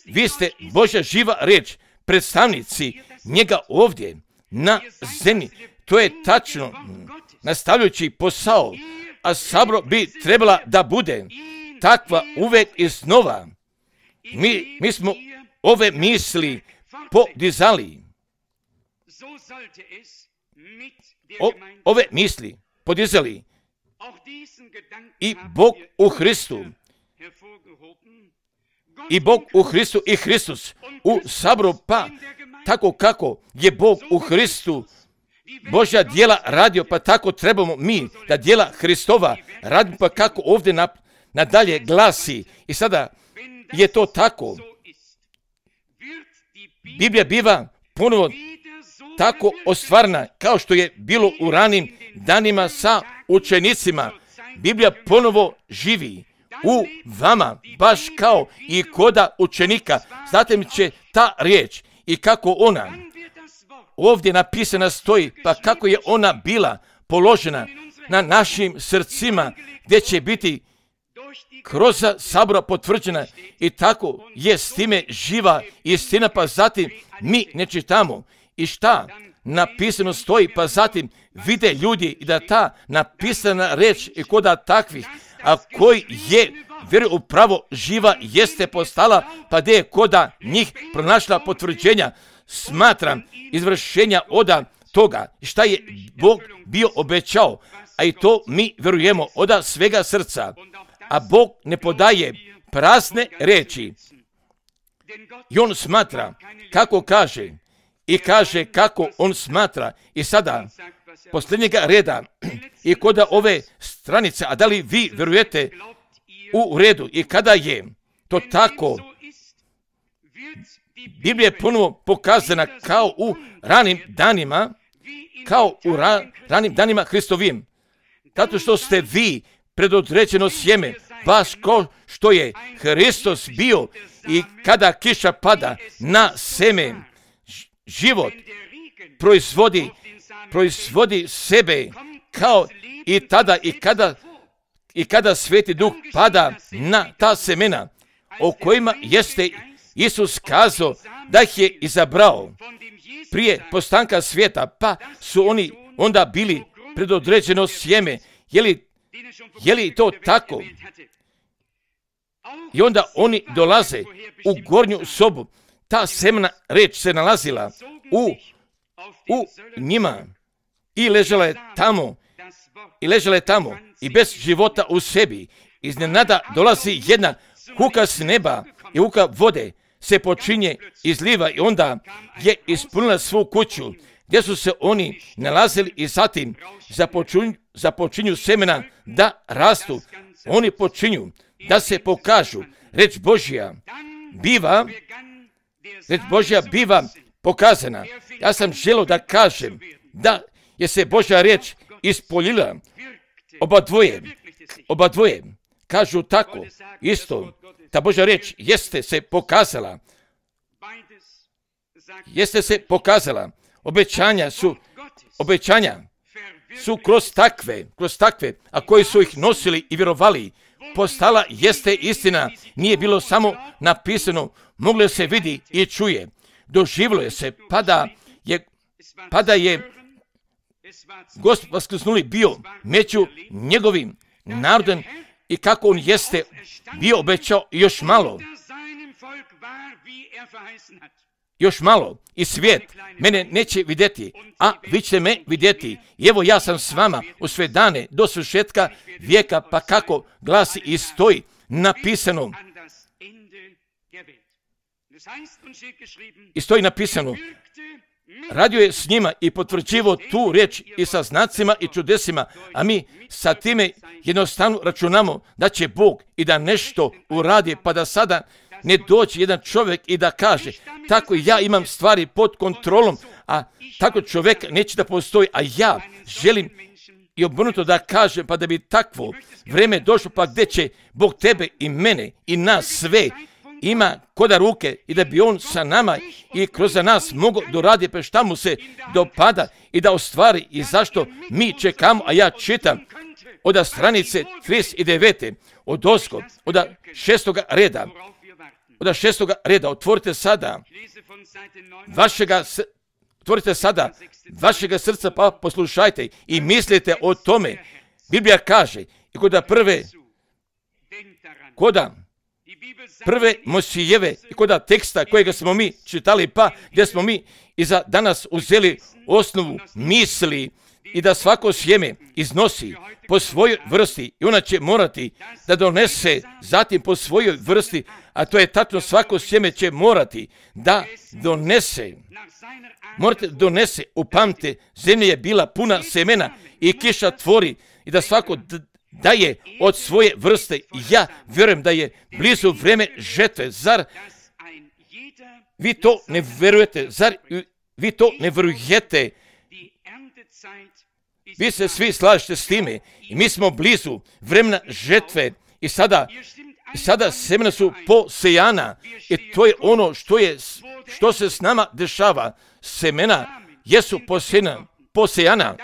vi ste Božja živa riječ, predstavnici njega ovdje na zemlji. To je tačno, nastavljajući posao, a sabor bi trebala da bude takva uvek iznova. Mi smo ove misli podizali. Ove misli podizali. I Bog u Hristu. I Bog u Hristu i Hristus u saboru, pa tako kako je Bog u Hristu Božja djela radio, pa tako trebamo mi da djela Hristova radimo, pa kako ovdje nadalje glasi. I sada je to tako. Biblija biva ponovo tako ostvarena kao što je bilo u ranim danima sa učenicima. Biblija ponovo živi u vama, baš kao i koda učenika. Zatim će ta riječ i kako ona ovdje napisana stoji, pa kako je ona bila položena na našim srcima, gdje će biti kroz sabora potvrđena i tako je s time živa istina, pa zatim mi ne čitamo i šta napisano stoji, pa zatim vide ljudi i da ta napisana reč i koda takvih, a koji je vjeruju upravo živa jeste postala, pa gdje je koda njih pronašla potvrđenja, smatram izvršenja oda toga šta je Bog bio obećao, a i to mi vjerujemo oda svega srca. A Bog ne podaje prazne reči. I on smatra kako kaže i kaže kako on smatra. I sada posljednjega reda i koda ove stranice, a da li vi vjerujete u redu i kada je to tako, Biblija je ponovo pokazana kao u ranim danima, ranim danima Hristovim. Zato što ste vi predodređeno sjeme, baš kao što je Hristos bio i kada kiša pada na seme, život proizvodi sebe kao i tada i kada Sveti Duh pada na ta semena o kojima jeste Isus kazao da ih je izabrao prije postanka svijeta, pa su oni onda bili predodređeno sjeme. Je li to tako? I onda oni dolaze u gornju sobu. Ta semena reč se nalazila u njima i ležala je tamo i bez života u sebi. Iznenada dolazi jedna huka s neba i huka vode se počinje izliva i onda je ispunila svu kuću gdje su se oni nalazili i zatim započinju semena da rastu. Oni počinju da se pokažu. Reč Božja biva pokazana. Ja sam želio da kažem da je se Božja riječ ispoljila. Oba dvoje kažu tako isto. Ta Božja riječ jeste se pokazala. Obećanja su kroz takve, a koji su ih nosili i vjerovali, postala jeste istina. Nije bilo samo napisano, moglo se vidi i čuje. Doživilo je se, pada je Gospod vaskrsnuli bio među njegovim narodom i kako on jeste bio obećao još malo i svijet mene neće vidjeti, a vi ćete me vidjeti. I evo ja sam s vama u sve dane do svršetka vijeka, pa kako glasi i stoji napisano. I stoji napisano, radio je s njima i potvrđivo tu riječ i sa znacima i čudesima, a mi sa time jednostavno računamo da će Bog i da nešto uradi, pa da sada ne dođe jedan čovjek i da kaže, tako ja imam stvari pod kontrolom, a tako čovjek neće da postoji, a ja želim i obrnuto da kažem, pa da bi takvo vreme došlo, pa gdje će Bog tebe i mene i nas sve ima koda ruke i da bi On sa nama i kroz nas mogao doraditi pa šta mu se dopada i da ostvari i zašto mi čekamo, a ja čitam od stranice 39. od 6. reda. Od 6. reda otvorite sada vašega srca pa poslušajte i mislite o tome. Biblija kaže i koda prve Mojsijeve i koda teksta kojega smo mi čitali, pa gdje smo mi i za danas uzeli osnovu misli i da svako sjeme iznosi po svojoj vrsti i ona će morati da donese zatim po svojoj vrsti, a to je tačno svako sjeme će morati da donese. Morate donese, upamte, zemlja je bila puna semena i kiša tvori i da svako daje od svoje vrste. Ja vjerujem da je blizu vrijeme žetve. Zar vi to ne vjerujete? Zar vi to ne vjerujete? Vi se svi slažete s time i mi smo blizu vremena žetve i sada semena su posejana i to je ono što se s nama dešava. Semena jesu posejana.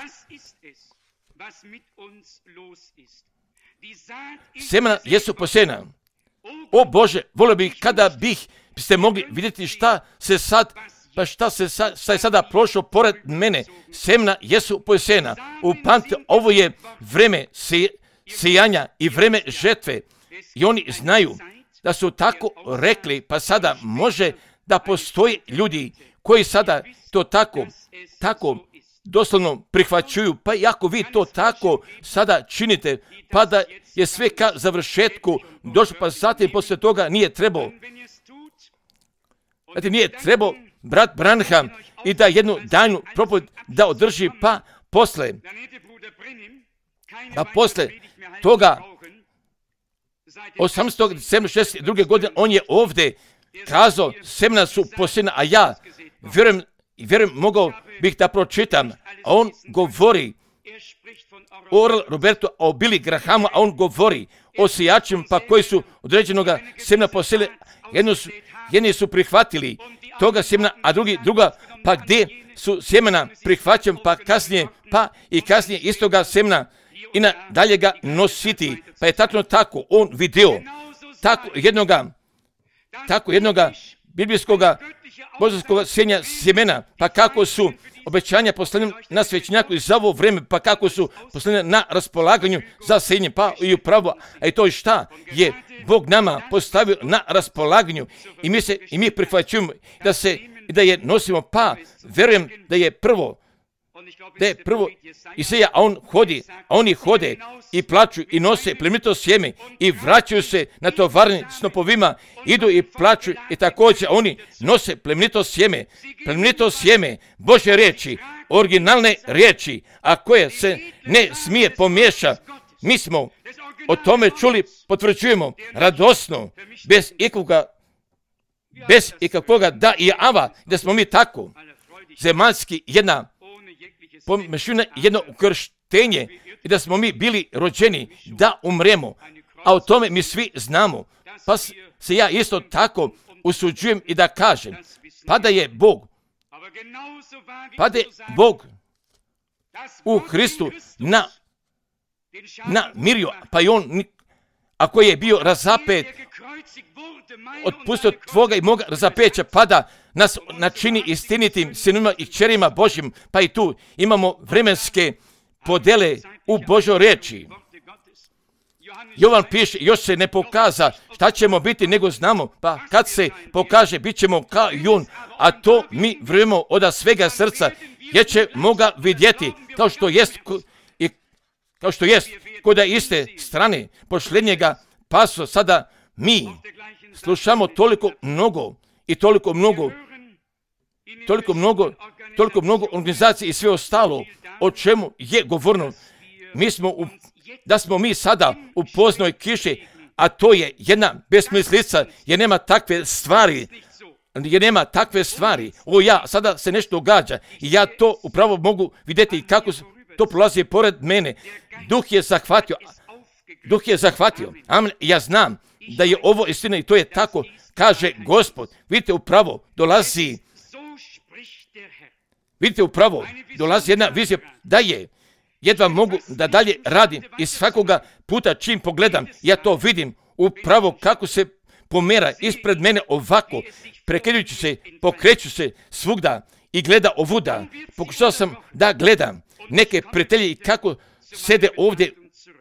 Semena jesu posejana. O Bože, volio bih kada biste mogli vidjeti šta je sada prošlo pored mene. Semena jesu posejana. Upamtite, ovo je vreme sijanja i vreme žetve. I oni znaju da su tako rekli, pa sada može da postoji ljudi koji sada to tako doslovno prihvaćuju, pa i ako vi to tako sada činite, pa da je sve ka završetku došlo, pa zatim poslije toga nije trebao brat Branham i da jednu daljnu propoved da održi, pa posle toga 18. decembra 1962. godine on je ovdje kazao, semena su posejana, a ja vjerujem mogao bih da pročitam, a on govori o Oral Robertu, o Billy Grahamu, a on govori o sijačima pa koji su određenoga semena posejali, jedni su prihvatili toga semena, a druga pa gdje su sjemena prihvaćen, pa kasnije istoga semena i dalje ga nositi, pa je tako on vidio tako jednoga biblijskoga božanskoga sjenja sjemena, pa kako su obećanja poslani na svećnjaku i za ovo vrijeme, pa kako su poslani na raspolaganju za sjenje, pa i upravo, a i to šta je Bog nama postavio na raspolaganju i mi prihvaćujemo da je nosimo, pa vjerujem da je prvo Isaija, a oni hode i plaču i nose plemenito sjeme i vraćaju se na tovarni snopovima, idu i plaču i također oni nose plemenito sjeme Božje riječi, originalne riječi, a koje se ne smije pomiješa. Mi smo o tome čuli, potvrđujemo radosno, bez ikakvoga da i ava, da smo mi tako zemaljski jedna pomešina, jedno ukrštenje i da smo mi bili rođeni da umremo, a o tome mi svi znamo. Pa se ja isto tako usuđujem i da kažem, pa da je Bog u Hristu namirio, pa i on, ako je bio razapet, otpustio tvoga i moga razapeća, pa da nas načini istinitim sinovima i kćerima Božjim, pa i tu imamo vremenske podele u Božoj riječi. Jovan piše, još se ne pokaza šta ćemo biti, nego znamo, pa kad se pokaže, bit ćemo kao i on, a to mi vjerujemo od svega srca, jer ćemo ga vidjeti kao što jest kod iste strane pošljednjega paso. Sada mi slušamo toliko mnogo toliko mnogo organizacije i sve ostalo, o čemu je govorno. Da smo mi sada u poznoj kiši, a to je jedna besmislica, jer nema takve stvari. Sada se nešto događa i ja to upravo mogu vidjeti kako to prolazi pored mene. Duh je zahvatio. Amen. Ja znam da je ovo istina i to je tako, kaže Gospod. Vidite, upravo dolazi jedna vizija da je. Jedva mogu da dalje radim i svakoga puta čim pogledam, ja to vidim upravo kako se pomera ispred mene ovako, prekidajući se, pokreću se svugda i gleda ovuda. Pokušao sam da gledam neke prijatelje i kako sede ovdje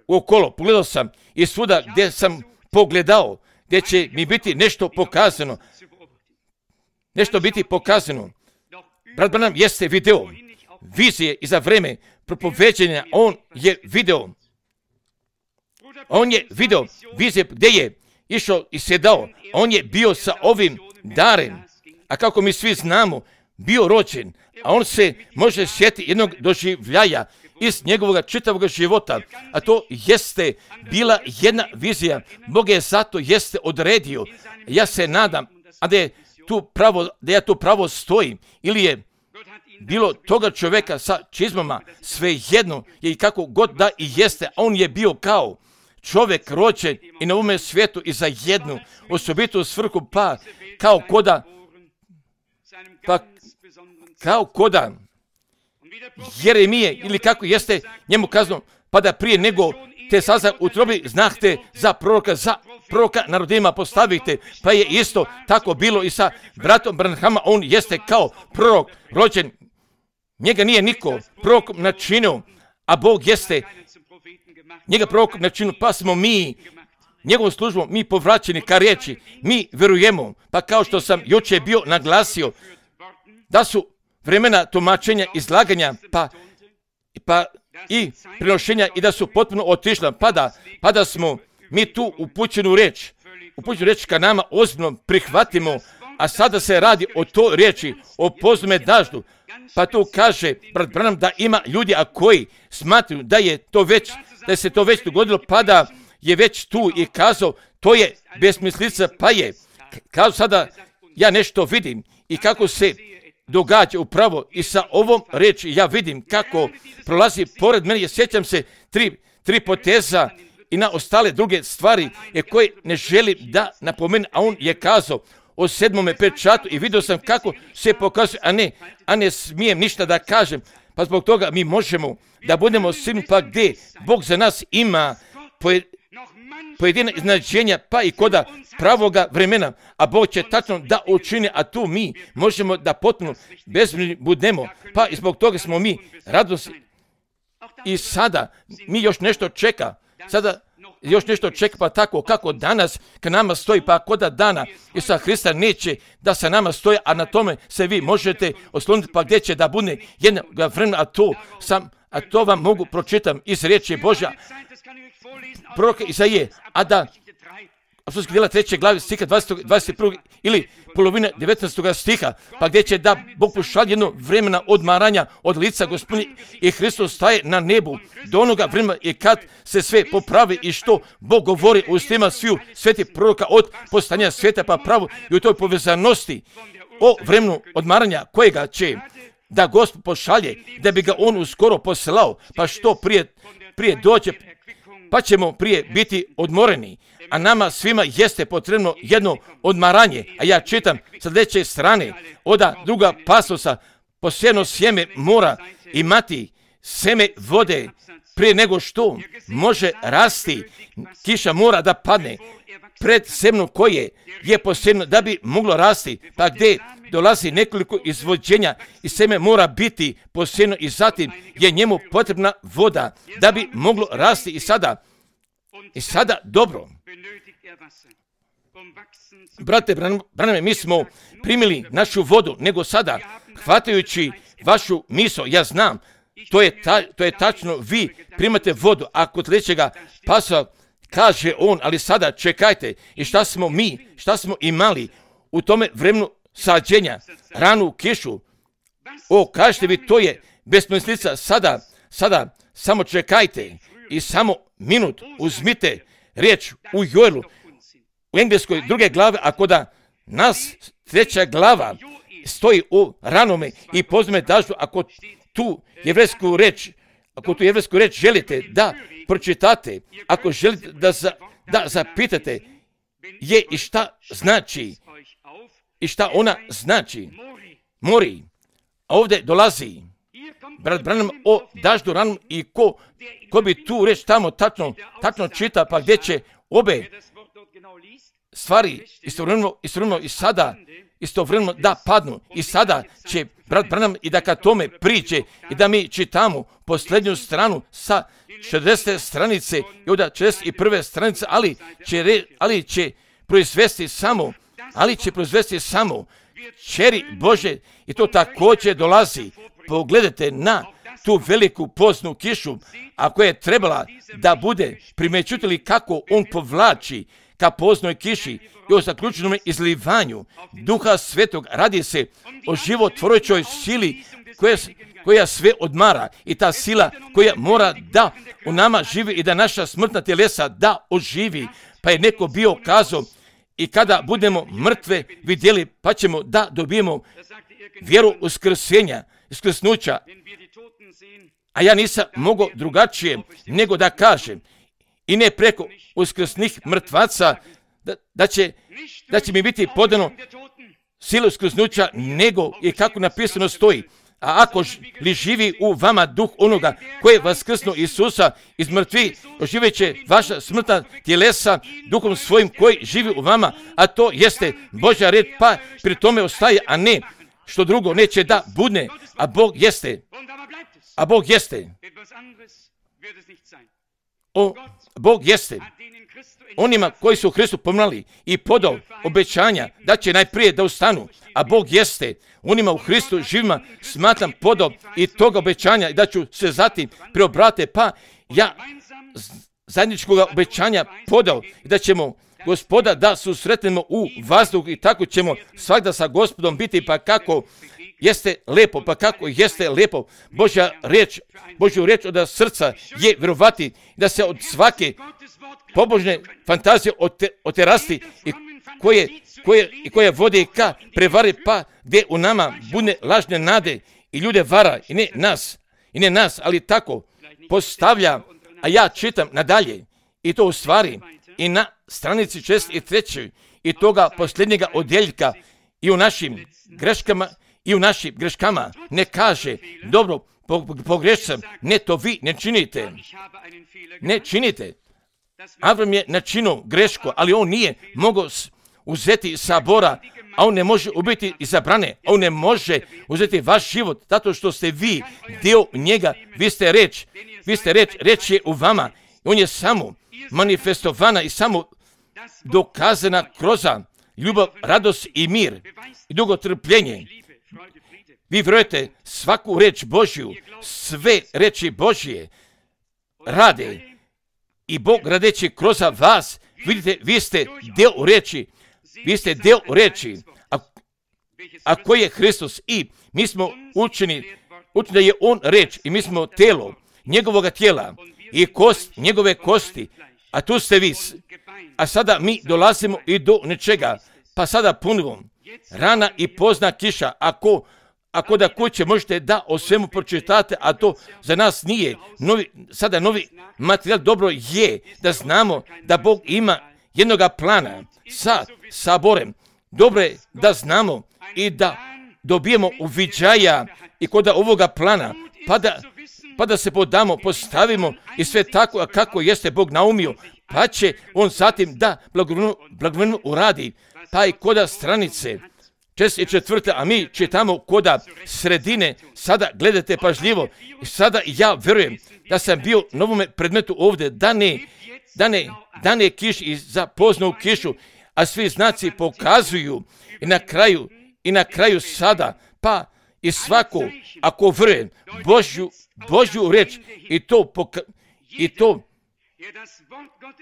okolo. Pogledao sam i svuda gdje sam pogledao, gdje će mi biti nešto pokazano. Brat Branham jeste video vizije i za vreme propoveđenja on je video vizije gdje je išao i sjedao. On je bio sa ovim darem, a kako mi svi znamo, bio rođen, a on se može sjetiti jednog doživljaja iz njegovog čitavog života, a to jeste bila jedna vizija. Bog je zato jeste odredio. Ja se nadam, da ja tu pravo stojim, ili je bilo toga čovjeka sa čizmama, sve jedno je i kako god da i jeste, a on je bio kao čovjek rođen i na ovome svijetu i za jednu osobitu svrhu, kao koda Jeremije, ili kako jeste njemu kazano, pa da prije nego te saza utrobi znahte za proroka na rodinama postavite, pa je isto tako bilo i sa bratom Branhama. On jeste kao prorok rođen, njega nije niko prorokom načinio, a Bog jeste njega prorokom načinio, pa smo mi njegovom službom mi povraćeni ka riječi, mi vjerujemo, pa kao što sam jučer bio naglasio, da su vremena tumačenja, izlaganja, pa i prenošenja i da su potpuno otišla, pa da smo mi tu upućenu riječ ka nama ozbiljno prihvatimo, a sada se radi o toj riječi, o pozome daždu, pa tu kaže brat Branham da ima ljudi a koji smatruju da se to već dogodilo, pa da je već tu i kazao to je besmislica, pa je kao sada ja nešto vidim i kako se događa upravo i sa ovom riječi ja vidim kako prolazi pored mene. Sjećam se tri poteza i na ostale druge stvari koje ne želim da napomenem, a on je kazao o 7. pečatu i vidio sam kako se pokazuje, a ne smijem ništa da kažem, pa zbog toga mi možemo da budemo sigurni, pa gdje Bog za nas ima pojedina iznenađenja, pa i koda pravoga vremena, a Bog će tačno da učini, a tu mi možemo da potpuno bezbrižni budemo, pa i zbog toga smo mi radosni. I sada mi još nešto čeka, pa tako kako danas k nama stoji, pa koda dana Isusa Hrista neće da sa nama stoji, a na tome se vi možete osloniti, pa gdje će da bude jednog vremena, a to vam mogu pročitam iz riječi Božja, proroka Izaije, a da apostolskih djela 3. glavi stiha 21. ili polovine 19. stiha, pa gdje će da Bog pošalje jedno vremena odmaranja od lica Gospodnje i Hristos staje na nebu do onoga vremena i kad se sve popravi i što Bog govori u ustima sviju svetih proroka od postanja svijeta pa pravo i u toj povezanosti o vremenu odmaranja kojega će da Gospod pošalje, da bi ga on uskoro poslao, pa što prije dođe, pa ćemo prije biti odmoreni. A nama svima jeste potrebno jedno odmaranje. A ja čitam sa sljedeće strane, oda druga pasosa, posebno sjeme mora imati seme vode prije nego što može rasti. Kiša mora da padne pred semno koje je posebno da bi moglo rasti, pa gdje dolazi nekoliko izvođenja i seme mora biti posebno i zatim je njemu potrebna voda da bi moglo rasti i sada dobro. Brate Branhame, mi smo primili našu vodu, nego sada, hvatajući vašu misao, ja znam, to je tačno, vi primate vodu, a kod sljedećega pasa kaže on, ali sada čekajte, i šta smo imali u tome vremenu sađenja, ranu kišu, kažete vi, to je besmislica, sada, samo čekajte i samo minut, uzmite riječ u Joelu, u engleskoj 2. glave, ako da nas 3. glava stoji u ranome i pozme daždu, ako tu jevrejsku reč želite da pročitate, ako želite da zapitate je i šta znači, i šta ona znači, mori, a ovdje dolazi brat Branham o daždu ranom i ko bi tu reč tamo tačno čita, pa gdje će obe stvari istovremeno da padnu. I sada će brat Branham i da kad tome priđe i da mi čitamo posljednju stranu sa 60. stranice i onda 61. stranice, ali će proizvesti samo čeri Bože, i to također dolazi. Pogledajte na tu veliku poznu kišu, ako je trebala da bude, primećujete li kako on povlači ka poznoj kiši i o zaključenom izlivanju Duha Svetog. Radi se o životvorujućoj sili koja sve odmara, i ta sila koja mora da u nama živi i da naša smrtna tjelesa da oživi. Pa je neko bio kazao, i kada budemo mrtve vidjeli, pa ćemo da dobijemo vjeru uskrsnuća. A ja nisam mogao drugačije nego da kažem, i ne preko uskrsnih mrtvaca, da će mi biti podano sila uskrsnuća, nego i kako napisano stoji. A ako li živi u vama duh onoga koji je vaskrsnuo Isusa iz mrtvih, oživjet će vaša smrtna tjelesa duhom svojim koji živi u vama, a to jeste Božja riječ, pa pri tome ostaje, a ne što drugo neće da budne, a Bog jeste. Bog jeste. Onima koji su u Hristu pomrali i podao obećanja da će najprije da ustanu, a Bog jeste. Onima u Hristu živima smatram podao i toga obećanja i da ću se zatim preobrate, pa ja zajedničkog obećanja podao i da ćemo Gospoda da susretnemo u vazduhu i tako ćemo svakda sa Gospodom biti, pa kako jeste lepo, Božju riječ od srca je vjerovati, da se od svake pobožne fantazije oterasti i koje vode ka prevari, pa gdje u nama bude lažne nade i ljude vara, i ne nas, ali tako postavlja. A ja čitam nadalje, i to u stvari i na stranici 63. i toga posljednjega odjeljka, i u našim greškama ne kaže, dobro, pogrešam, ne, to vi ne činite. Avram je načinio grešku, ali on nije mogao uzeti sabora, a on ne može ubiti izabrane, a on ne može uzeti vaš život, zato što ste vi dio njega, vi ste reč je u vama, on je samo manifestovana i samo dokazana kroz ljubav, radost i mir i dugo trpljenje. Vi vjerujete svaku reč Božju, sve reči Božje rade, i Bog radeći kroz vas, vidite, vi ste dio reči, a koji je Hristos, i mi smo učeni da je on reč, i mi smo telo njegovoga tijela i kost njegove kosti, a tu ste vi. A sada mi dolazimo i do nečega, pa sada punimo rana i pozna kiša. Ako da kuće možete da o svemu pročitate, a to za nas nije sada novi materijal, dobro je da znamo da Bog ima jednoga plana sa saborem. Dobro je da znamo i da dobijemo uviđaja i kod ovoga plana, pa da se postavimo i sve tako kako jeste Bog naumio, pa će on zatim da blagovremeno uradi. Pa i koda stranice 64. a mi čitamo koda sredine, sada gledajte pažljivo, i sada ja vjerujem da sam bio na ovome predmetu ovdje, da ne kiš i za poznu kišu, a svi znaci pokazuju i na kraju sada, pa i svako, ako vjeruje Božju reč, i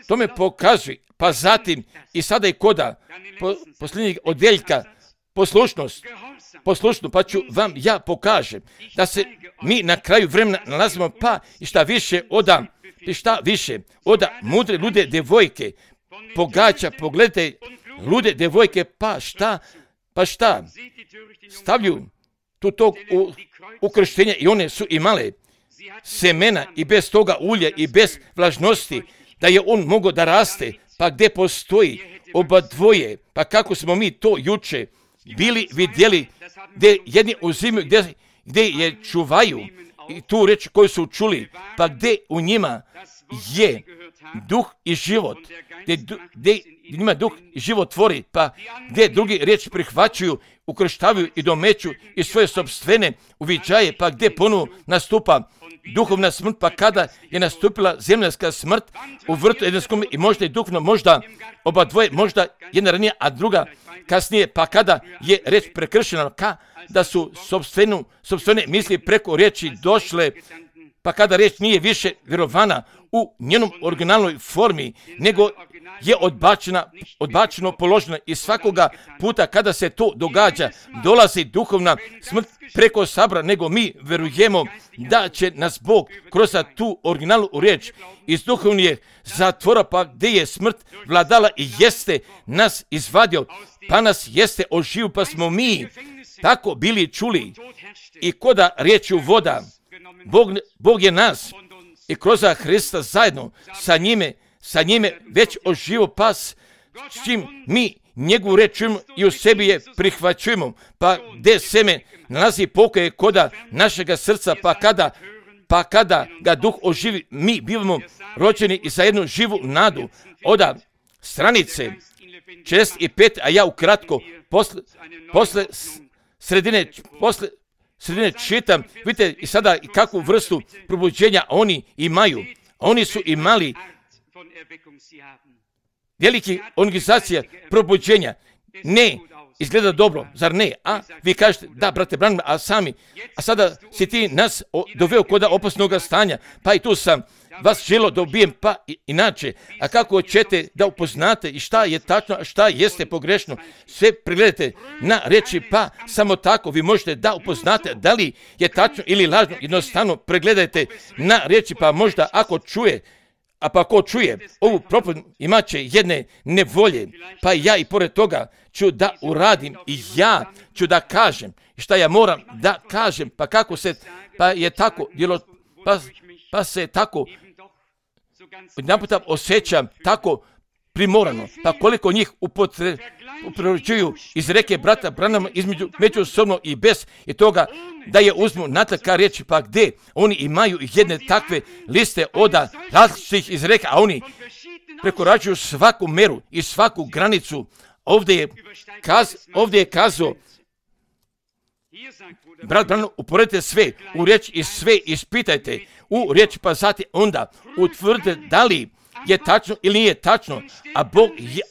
to me pokazuje, pa zatim i sada i koda posljednjeg odjeljka poslušno, pa ću vam ja pokažem da se mi na kraju vremena nalazimo, pa i šta više oda mudre lude devojke pogađa, pogledajte lude devojke, pa šta, stavljaju tu tog ukrštenja i one su imale semena i bez toga ulja i bez vlažnosti, da je on mogao da raste, pa gdje postoji oba dvoje, pa kako smo mi to juče bili vidjeli, gdje jedni uzimaju, gdje je čuvaju i tu reč koju su čuli, pa gdje u njima je duh i život, gdje njima duh i život tvori, pa gdje drugi riječ prihvaćaju, ukrštavaju i domeću i svoje sopstvene uviđaje, pa gdje ponovo nastupa duhovna smrt, pa kada je nastupila zemljanska smrt u vrtu Edenskom i možda i duhovno, možda oba dvoje, možda jedna ranije, a druga kasnije, pa kada je reč prekršena, da su sopstvene misli preko riječi došle, pa kada riječ nije više vjerovana u njenom originalnoj formi, nego je odbačeno, položeno i svakoga puta kada se to događa, dolazi duhovna smrt preko sabra, nego mi verujemo da će nas Bog kroz tu originalnu riječ iz duhovnije zatvora, pa gdje je smrt vladala i jeste nas izvadio, pa nas jeste oživio, pa smo mi tako bili čuli i koda riječju voda, Bog je nas i kroz Hrista zajedno sa njime već oživio, pa s čim mi njegovu reč čujemo i u sebi je prihvaćujemo, pa gdje seme nalazi pokoje koda našega srca, pa kada ga duh oživi, mi bivamo rođeni i za jednu živu nadu. Oda stranice 65, a ja ukratko posle sredine čitam, vidite i sada i kakvu vrstu probuđenja oni imaju. Oni su imali veliki organizacija probuđenja. Ne, izgleda dobro, zar ne? A vi kažete, da, brate Branham, a sada si ti nas doveo kod opasnog stanja, pa i tu sam vas želo dobijem, pa inače, a kako ćete da upoznate i šta je tačno, a šta jeste pogrešno, sve pregledajte na reči, pa samo tako vi možete da upoznate da li je tačno ili lažno, jednostavno pregledajte na reči, pa možda ako čuje, a pa ko čuje ovu propoved imat će jedne nevolje, pa ja i pored toga ću da uradim i ja ću da kažem šta ja moram da kažem, pa kako se, pa je tako, pa se tako naputa osjećam tako primorano, pa koliko njih upriličuju iz reke brata Branhama međusobno i bez i toga da je uzmu natrag riječi, pa gdje oni imaju jedne takve liste oda različitih iz reke, a oni prekoračuju svaku meru i svaku granicu. Ovdje je kazao brat Branham, uporedite sve u riječ i sve ispitajte u riječi, pa zatim onda utvrdite da li je tačno ili nije tačno,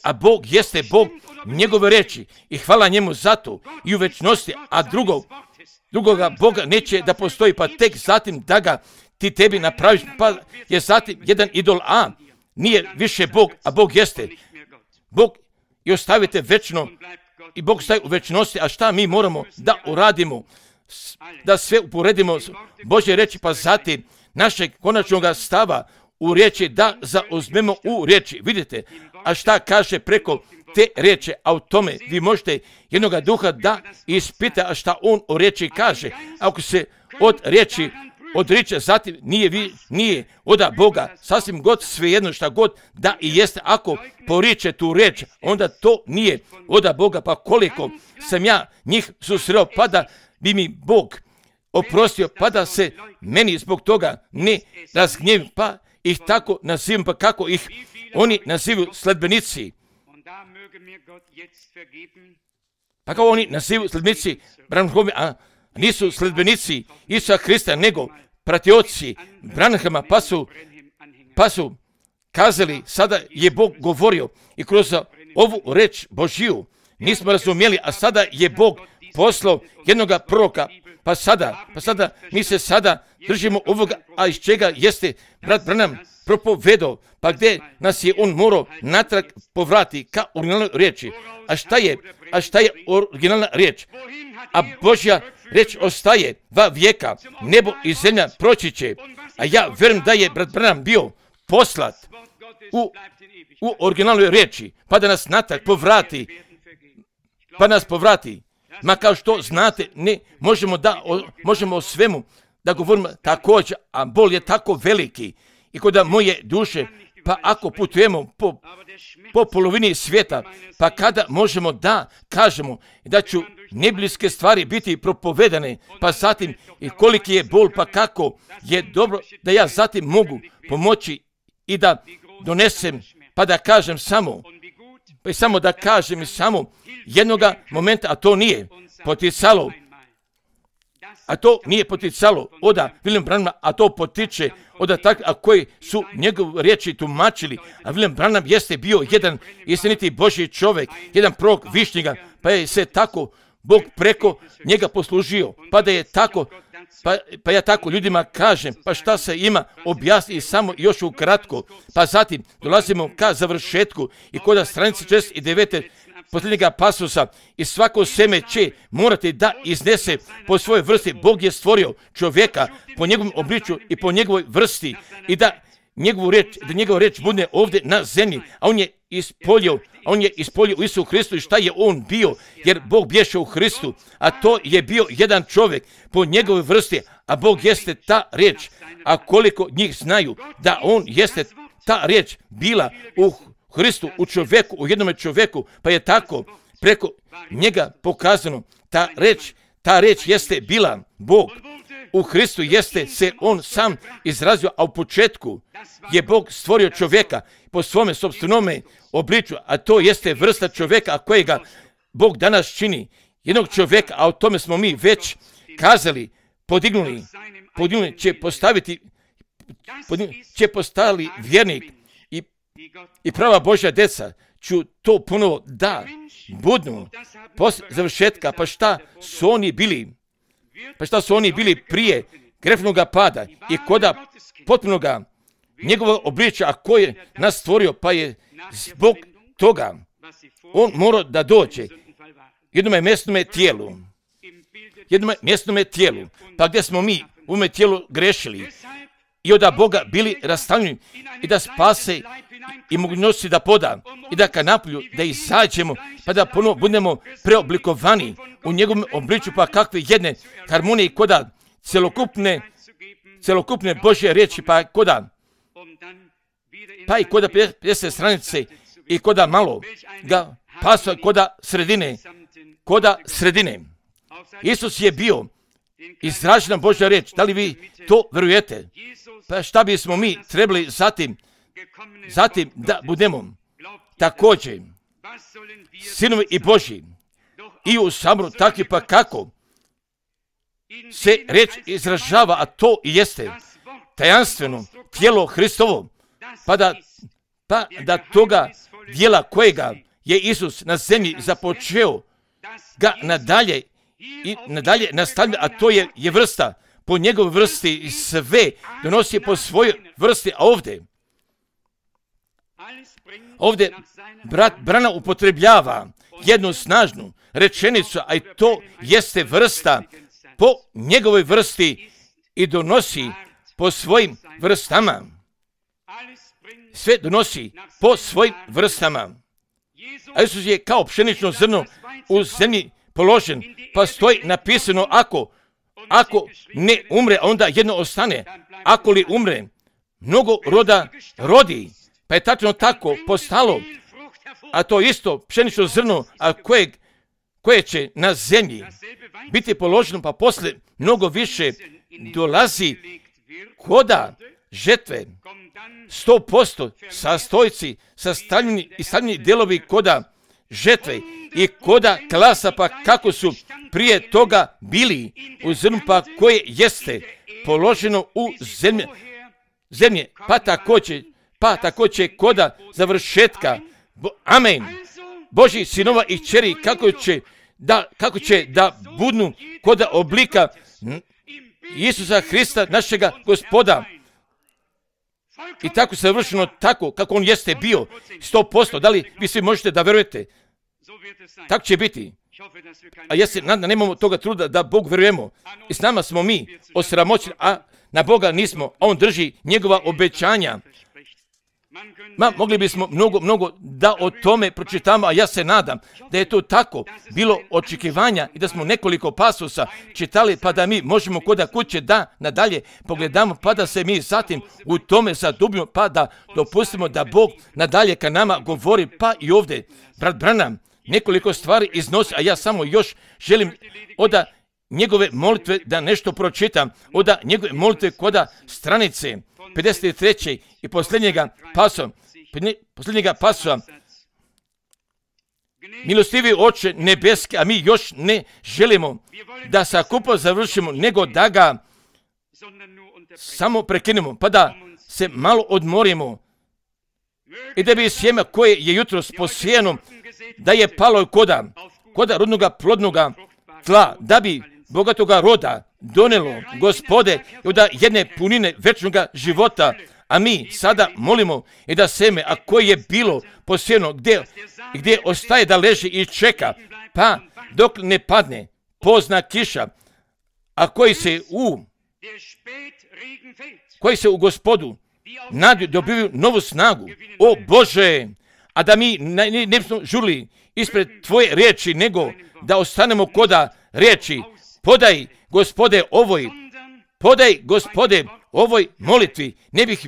a Bog jeste Bog njegove reči i hvala njemu za to i u večnosti, a drugoga Boga neće da postoji, pa tek zatim da ga ti tebi napraviš, pa je zatim jedan idol, a nije više Bog, a Bog jeste Bog i ostavite večno i Bog staje u večnosti, a šta mi moramo da uradimo, da sve uporedimo Božje reči, pa zatim našeg konačnog stava u riječi da zauzmemo u riječi. Vidite, a šta kaže preko te riječi, a u tome vi možete jednoga duha da ispita, a šta on o riječi kaže. Ako se od riječi odriče, zatim nije od Boga, sasvim god svejedno šta god da i jeste, ako poriče tu riječ, onda to nije od Boga, pa koliko sam ja njih susreo, pa da bi mi Bog oprostio, pa da se meni zbog toga ne razgnjevim, pa ih tako nazivam, pa kako ih oni nazivaju sledbenici. Pa kao oni nazivaju sledbenici Branhama, a nisu sledbenici Isusa Hrista, nego pratioci Branhama, pa su kazali, sada je Bog govorio i kroz ovu reč Božiju nismo razumjeli, a sada je Bog poslao jednoga proroka, pa sada mi se sada držimo ovoga, a iz čega jeste brat Branham propovedao, pa gdje nas je on morao natrag povrati ka originalnoj riječi. A šta je originalna riječ? A Božja riječ ostaje va vijeka, nebo i zemlja proći će. A ja vjerujem da je brat Branham bio poslat u originalnoj riječi, pa da nas natrag povrati. Ma kao što znate, ne možemo o svemu da govorimo također, a bol je tako veliki. I kod moje duše, pa ako putujemo po polovini svijeta, pa kada možemo da kažemo da ću nebliske stvari biti propovedane, pa zatim i koliki je bol, pa kako je dobro da ja zatim mogu pomoći i da donesem, pa da kažem samo jednoga momenta, a to nije poticalo. Oda William Branhama, a to potiče oda takvi, a koji su njegove riječi tumačili. A William Branham jeste bio jedan istiniti Božji čovjek, jedan prorok višnjega, pa je se tako Bog preko njega poslužio. Pa da je tako, pa ja tako ljudima kažem, pa šta se ima objasniti samo još ukratko. Pa zatim dolazimo ka završetku i kod stranice 69. posljednjega pasusa, i svako seme će morati da iznese po svojoj vrsti. Bog je stvorio čovjeka po njegovom obličju i po njegovoj vrsti, i da njegova riječ bude ovdje na zemlji, a on je ispolio u Isu Hristu. I šta je on bio? Jer Bog bješe u Hristu, a to je bio jedan čovjek po njegovoj vrsti, a Bog jeste ta riječ. A koliko njih znaju da on jeste ta riječ bila u Hristu, u čovjeku, u jednome čovjeku, pa je tako preko njega pokazano. Ta riječ jeste bila Bog. U Hristu jeste se on sam izrazio, a u početku je Bog stvorio čovjeka po svome sopstvenome obličju, a to jeste vrsta čovjeka kojega Bog danas čini. Jednog čovjeka, a o tome smo mi već kazali, podignuli će postaviti vjernik i prava Božja deca. Ću to ponovo da budnu poslije završetka. Pa šta su oni bili prije grefnoga pada i koda potpunoga njegovog obličja, a koji je nas stvorio, pa je zbog toga on mora da dođe jednome mjesnome tijelu, pa gdje smo mi u ovome tijelu grešili i od Boga bili rastavljeni i da spase i mogućnosti da poda i da ka napolju da izađemo, pa da ponovo budemo preoblikovani u njegovom obličju, pa kakve jedne harmonije koda celokupne Božje riječi, pa i koda 50 stranice i koda malo ga pasva koda sredine. Isus je bio izražena Božja riječ. Da li vi to vjerujete? Pa šta bismo mi trebali zatim da budemo također sinovi i Božji i u saboru takvi, pa kako se riječ izražava, a to i jeste tajanstveno tijelo Hristovo, pa da toga dijela kojega je Isus na zemlji započeo ga nadalje nastavlja, a to je vrsta po njegovoj vrsti i sve donosi po svojoj vrsti. A ovdje brat Branham upotrebljava jednu snažnu rečenicu, a i to jeste vrsta po njegovoj vrsti i donosi po svojim vrstama. Sve donosi po svojim vrstama. A Isus je kao pšenično zrno u zemlji položen, pa stoji napisano ako ne umre, onda jedno ostane. Ako li umre, mnogo roda rodi. Pa je tačno tako postalo. A to isto pšenično zrno, a koje će na zemlji biti položeno, pa poslije mnogo više dolazi koda žetve. 100% sastojci, sastavljeni i stavljeni delovi koda žetve i koda klasa, pa kako su prije toga bili u zrnu, pa koje jeste položeno u zemlje, pa također koda završetka. Amen. Božji sinova i kćeri, kako će da budnu koda oblika Isusa Hrista, našega Gospoda. i tako savršeno, tako kako on jeste bio, 100%. Da li vi svi možete da verujete? Tako će biti. A ja se nadam da nemamo toga truda da Bog verujemo. I s nama smo mi osramoćeni, a na Boga nismo. A on drži njegova obećanja. Mogli bismo mnogo da o tome pročitamo, a ja se nadam da je to tako bilo očekivanja i da smo nekoliko pasusa čitali, pa da mi možemo koda kuće da nadalje pogledamo, pa da se mi zatim u tome zadubimo, pa da dopustimo da Bog nadalje ka nama govori, pa i ovdje. Brat Branham nekoliko stvari iznosi, a ja samo još želim od njegove molitve da nešto pročitam, od njegove molitve koda stranice 53. i posljednjega pasosa. Milostivi Oče nebeski, a mi još ne želimo da sakupo završimo, nego da ga samo prekinemo, pa da se malo odmorimo i da bi sjeme koje je jutros posijeno, da je palo koda rodnoga plodnoga tla, da bi bogatoga roda donelo, Gospode, i da jedne punine večnoga života, a mi sada molimo i da seme, a koje je bilo posijeno, gdje ostaje da leži i čeka, pa dok ne padne pozna kiša, a koji se u Gospodu nadu dobivaju novu snagu. O Bože, a da mi ne smo žurili ispred Tvoje riječi, nego da ostanemo koda riječi. Podaj, Gospode, ovoj molitvi. Ne bih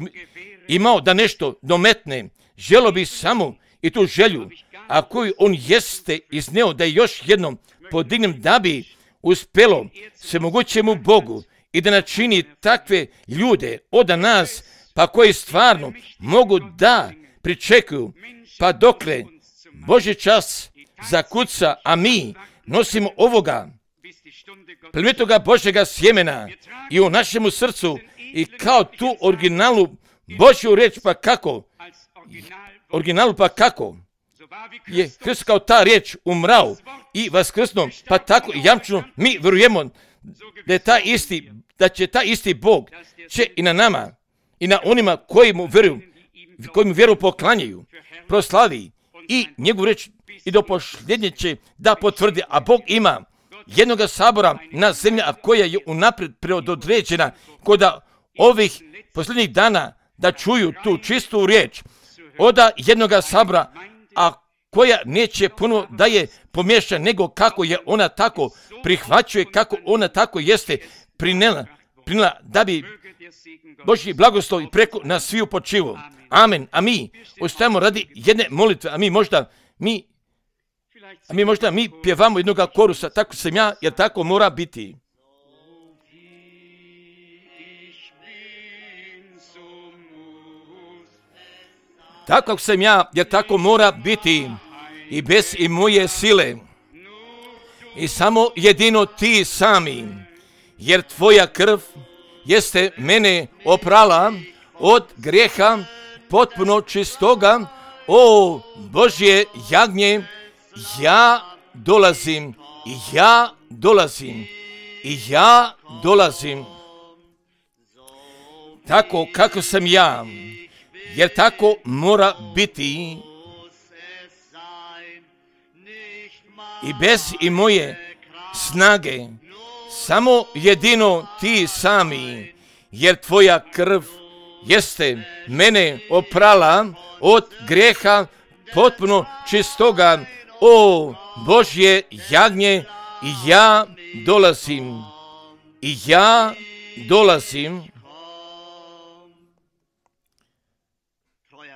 imao da nešto dometne. Želo bi samo i tu želju, a koju on jeste izneo, da još jednom podignem, da bi uspjelo svemogućemu Bogu i da načini takve ljude od nas, pa koji stvarno mogu da pričekuju, pa dokle Božji čas zakuca, a mi nosimo ovoga plemenitoga Božjega sjemena i u našemu srcu i kao tu originalu Božju riječ, pa kako je Hrist kao ta riječ umrao i vaskrsnuo, pa tako i jamčeno mi vjerujemo da će taj isti Bog će i na nama i na onima koji mu vjeru poklanjaju, proslavi i njegovu riječ i do posljednje će da potvrdi, a Bog ima jednoga sabora na zemlji, a koja je unaprijed predodređena kod ovih posljednjih dana da čuju tu čistu riječ od jednoga sabora, a koja neće puno da je pomješana, nego kako je ona tako prihvaćuje, kako ona tako jeste prinela da bi Božji blagoslov i preko nas sviju počivo. Amen. A mi ostajemo radi jedne molitve, a mi možda pjevamo jednoga korusa, tako sam ja, jer tako mora biti. Tako kako sam ja, jer tako mora biti i bez i moje sile. I samo jedino ti sami, jer tvoja krv jeste mene oprala od grijeha potpuno čistoga. O Božje jagnje, ja dolazim. Tako kako sam ja, jer tako mora biti i bez i moje snage, samo jedino ti sami, jer tvoja krv jeste mene oprala od grijeha potpuno čistoga. O Božje jagnje, ja dolazim.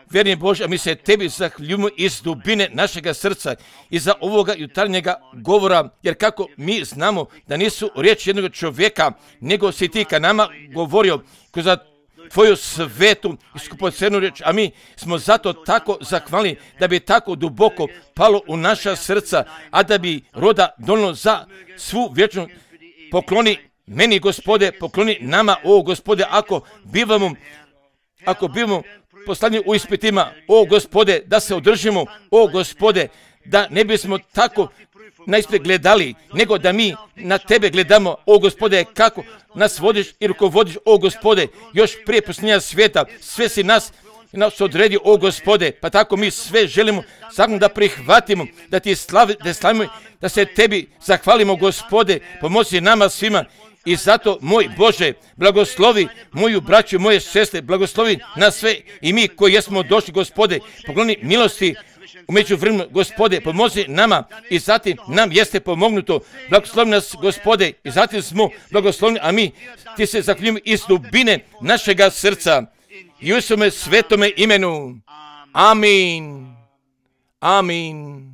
Vjerni Bože, a mi se tebi zahvaljujemo iz dubine našega srca i za ovoga jutarnjega govora, jer kako mi znamo da nisu riječi jednog čovjeka, nego si ti ka nama govorio kroz tvoju svetu i skupocenu riječ, a mi smo zato tako zahvalni da bi tako duboko palo u naša srca, a da bi roda donilo za svu vječnu. Pokloni meni, Gospode, pokloni nama, o Gospode, ako bivamo poslani u ispitima, o Gospode, da se održimo, o Gospode, da ne bismo tako najspred gledali, nego da mi na tebe gledamo, o Gospode, kako nas vodiš i rukovodiš, o Gospode, još prije posljednja svijeta, sve si nas odredio, o Gospode, pa tako mi sve želimo samo da prihvatimo, da ti slavimo, da se tebi zahvalimo, Gospode, pomozi nama svima. I zato, moj Bože, blagoslovi moju braću, moje sestre, blagoslovi nas sve i mi koji jesmo došli, Gospode, pokloni milosti u međuvremenu, Gospode, pomozi nama i zatim nam jeste pomognuto. Blagoslovi nas, Gospode, i zatim smo blagoslovni, a mi ti se zahvaljujemo iz dubine našega srca i u svome svetome imenu. Amin. Amin.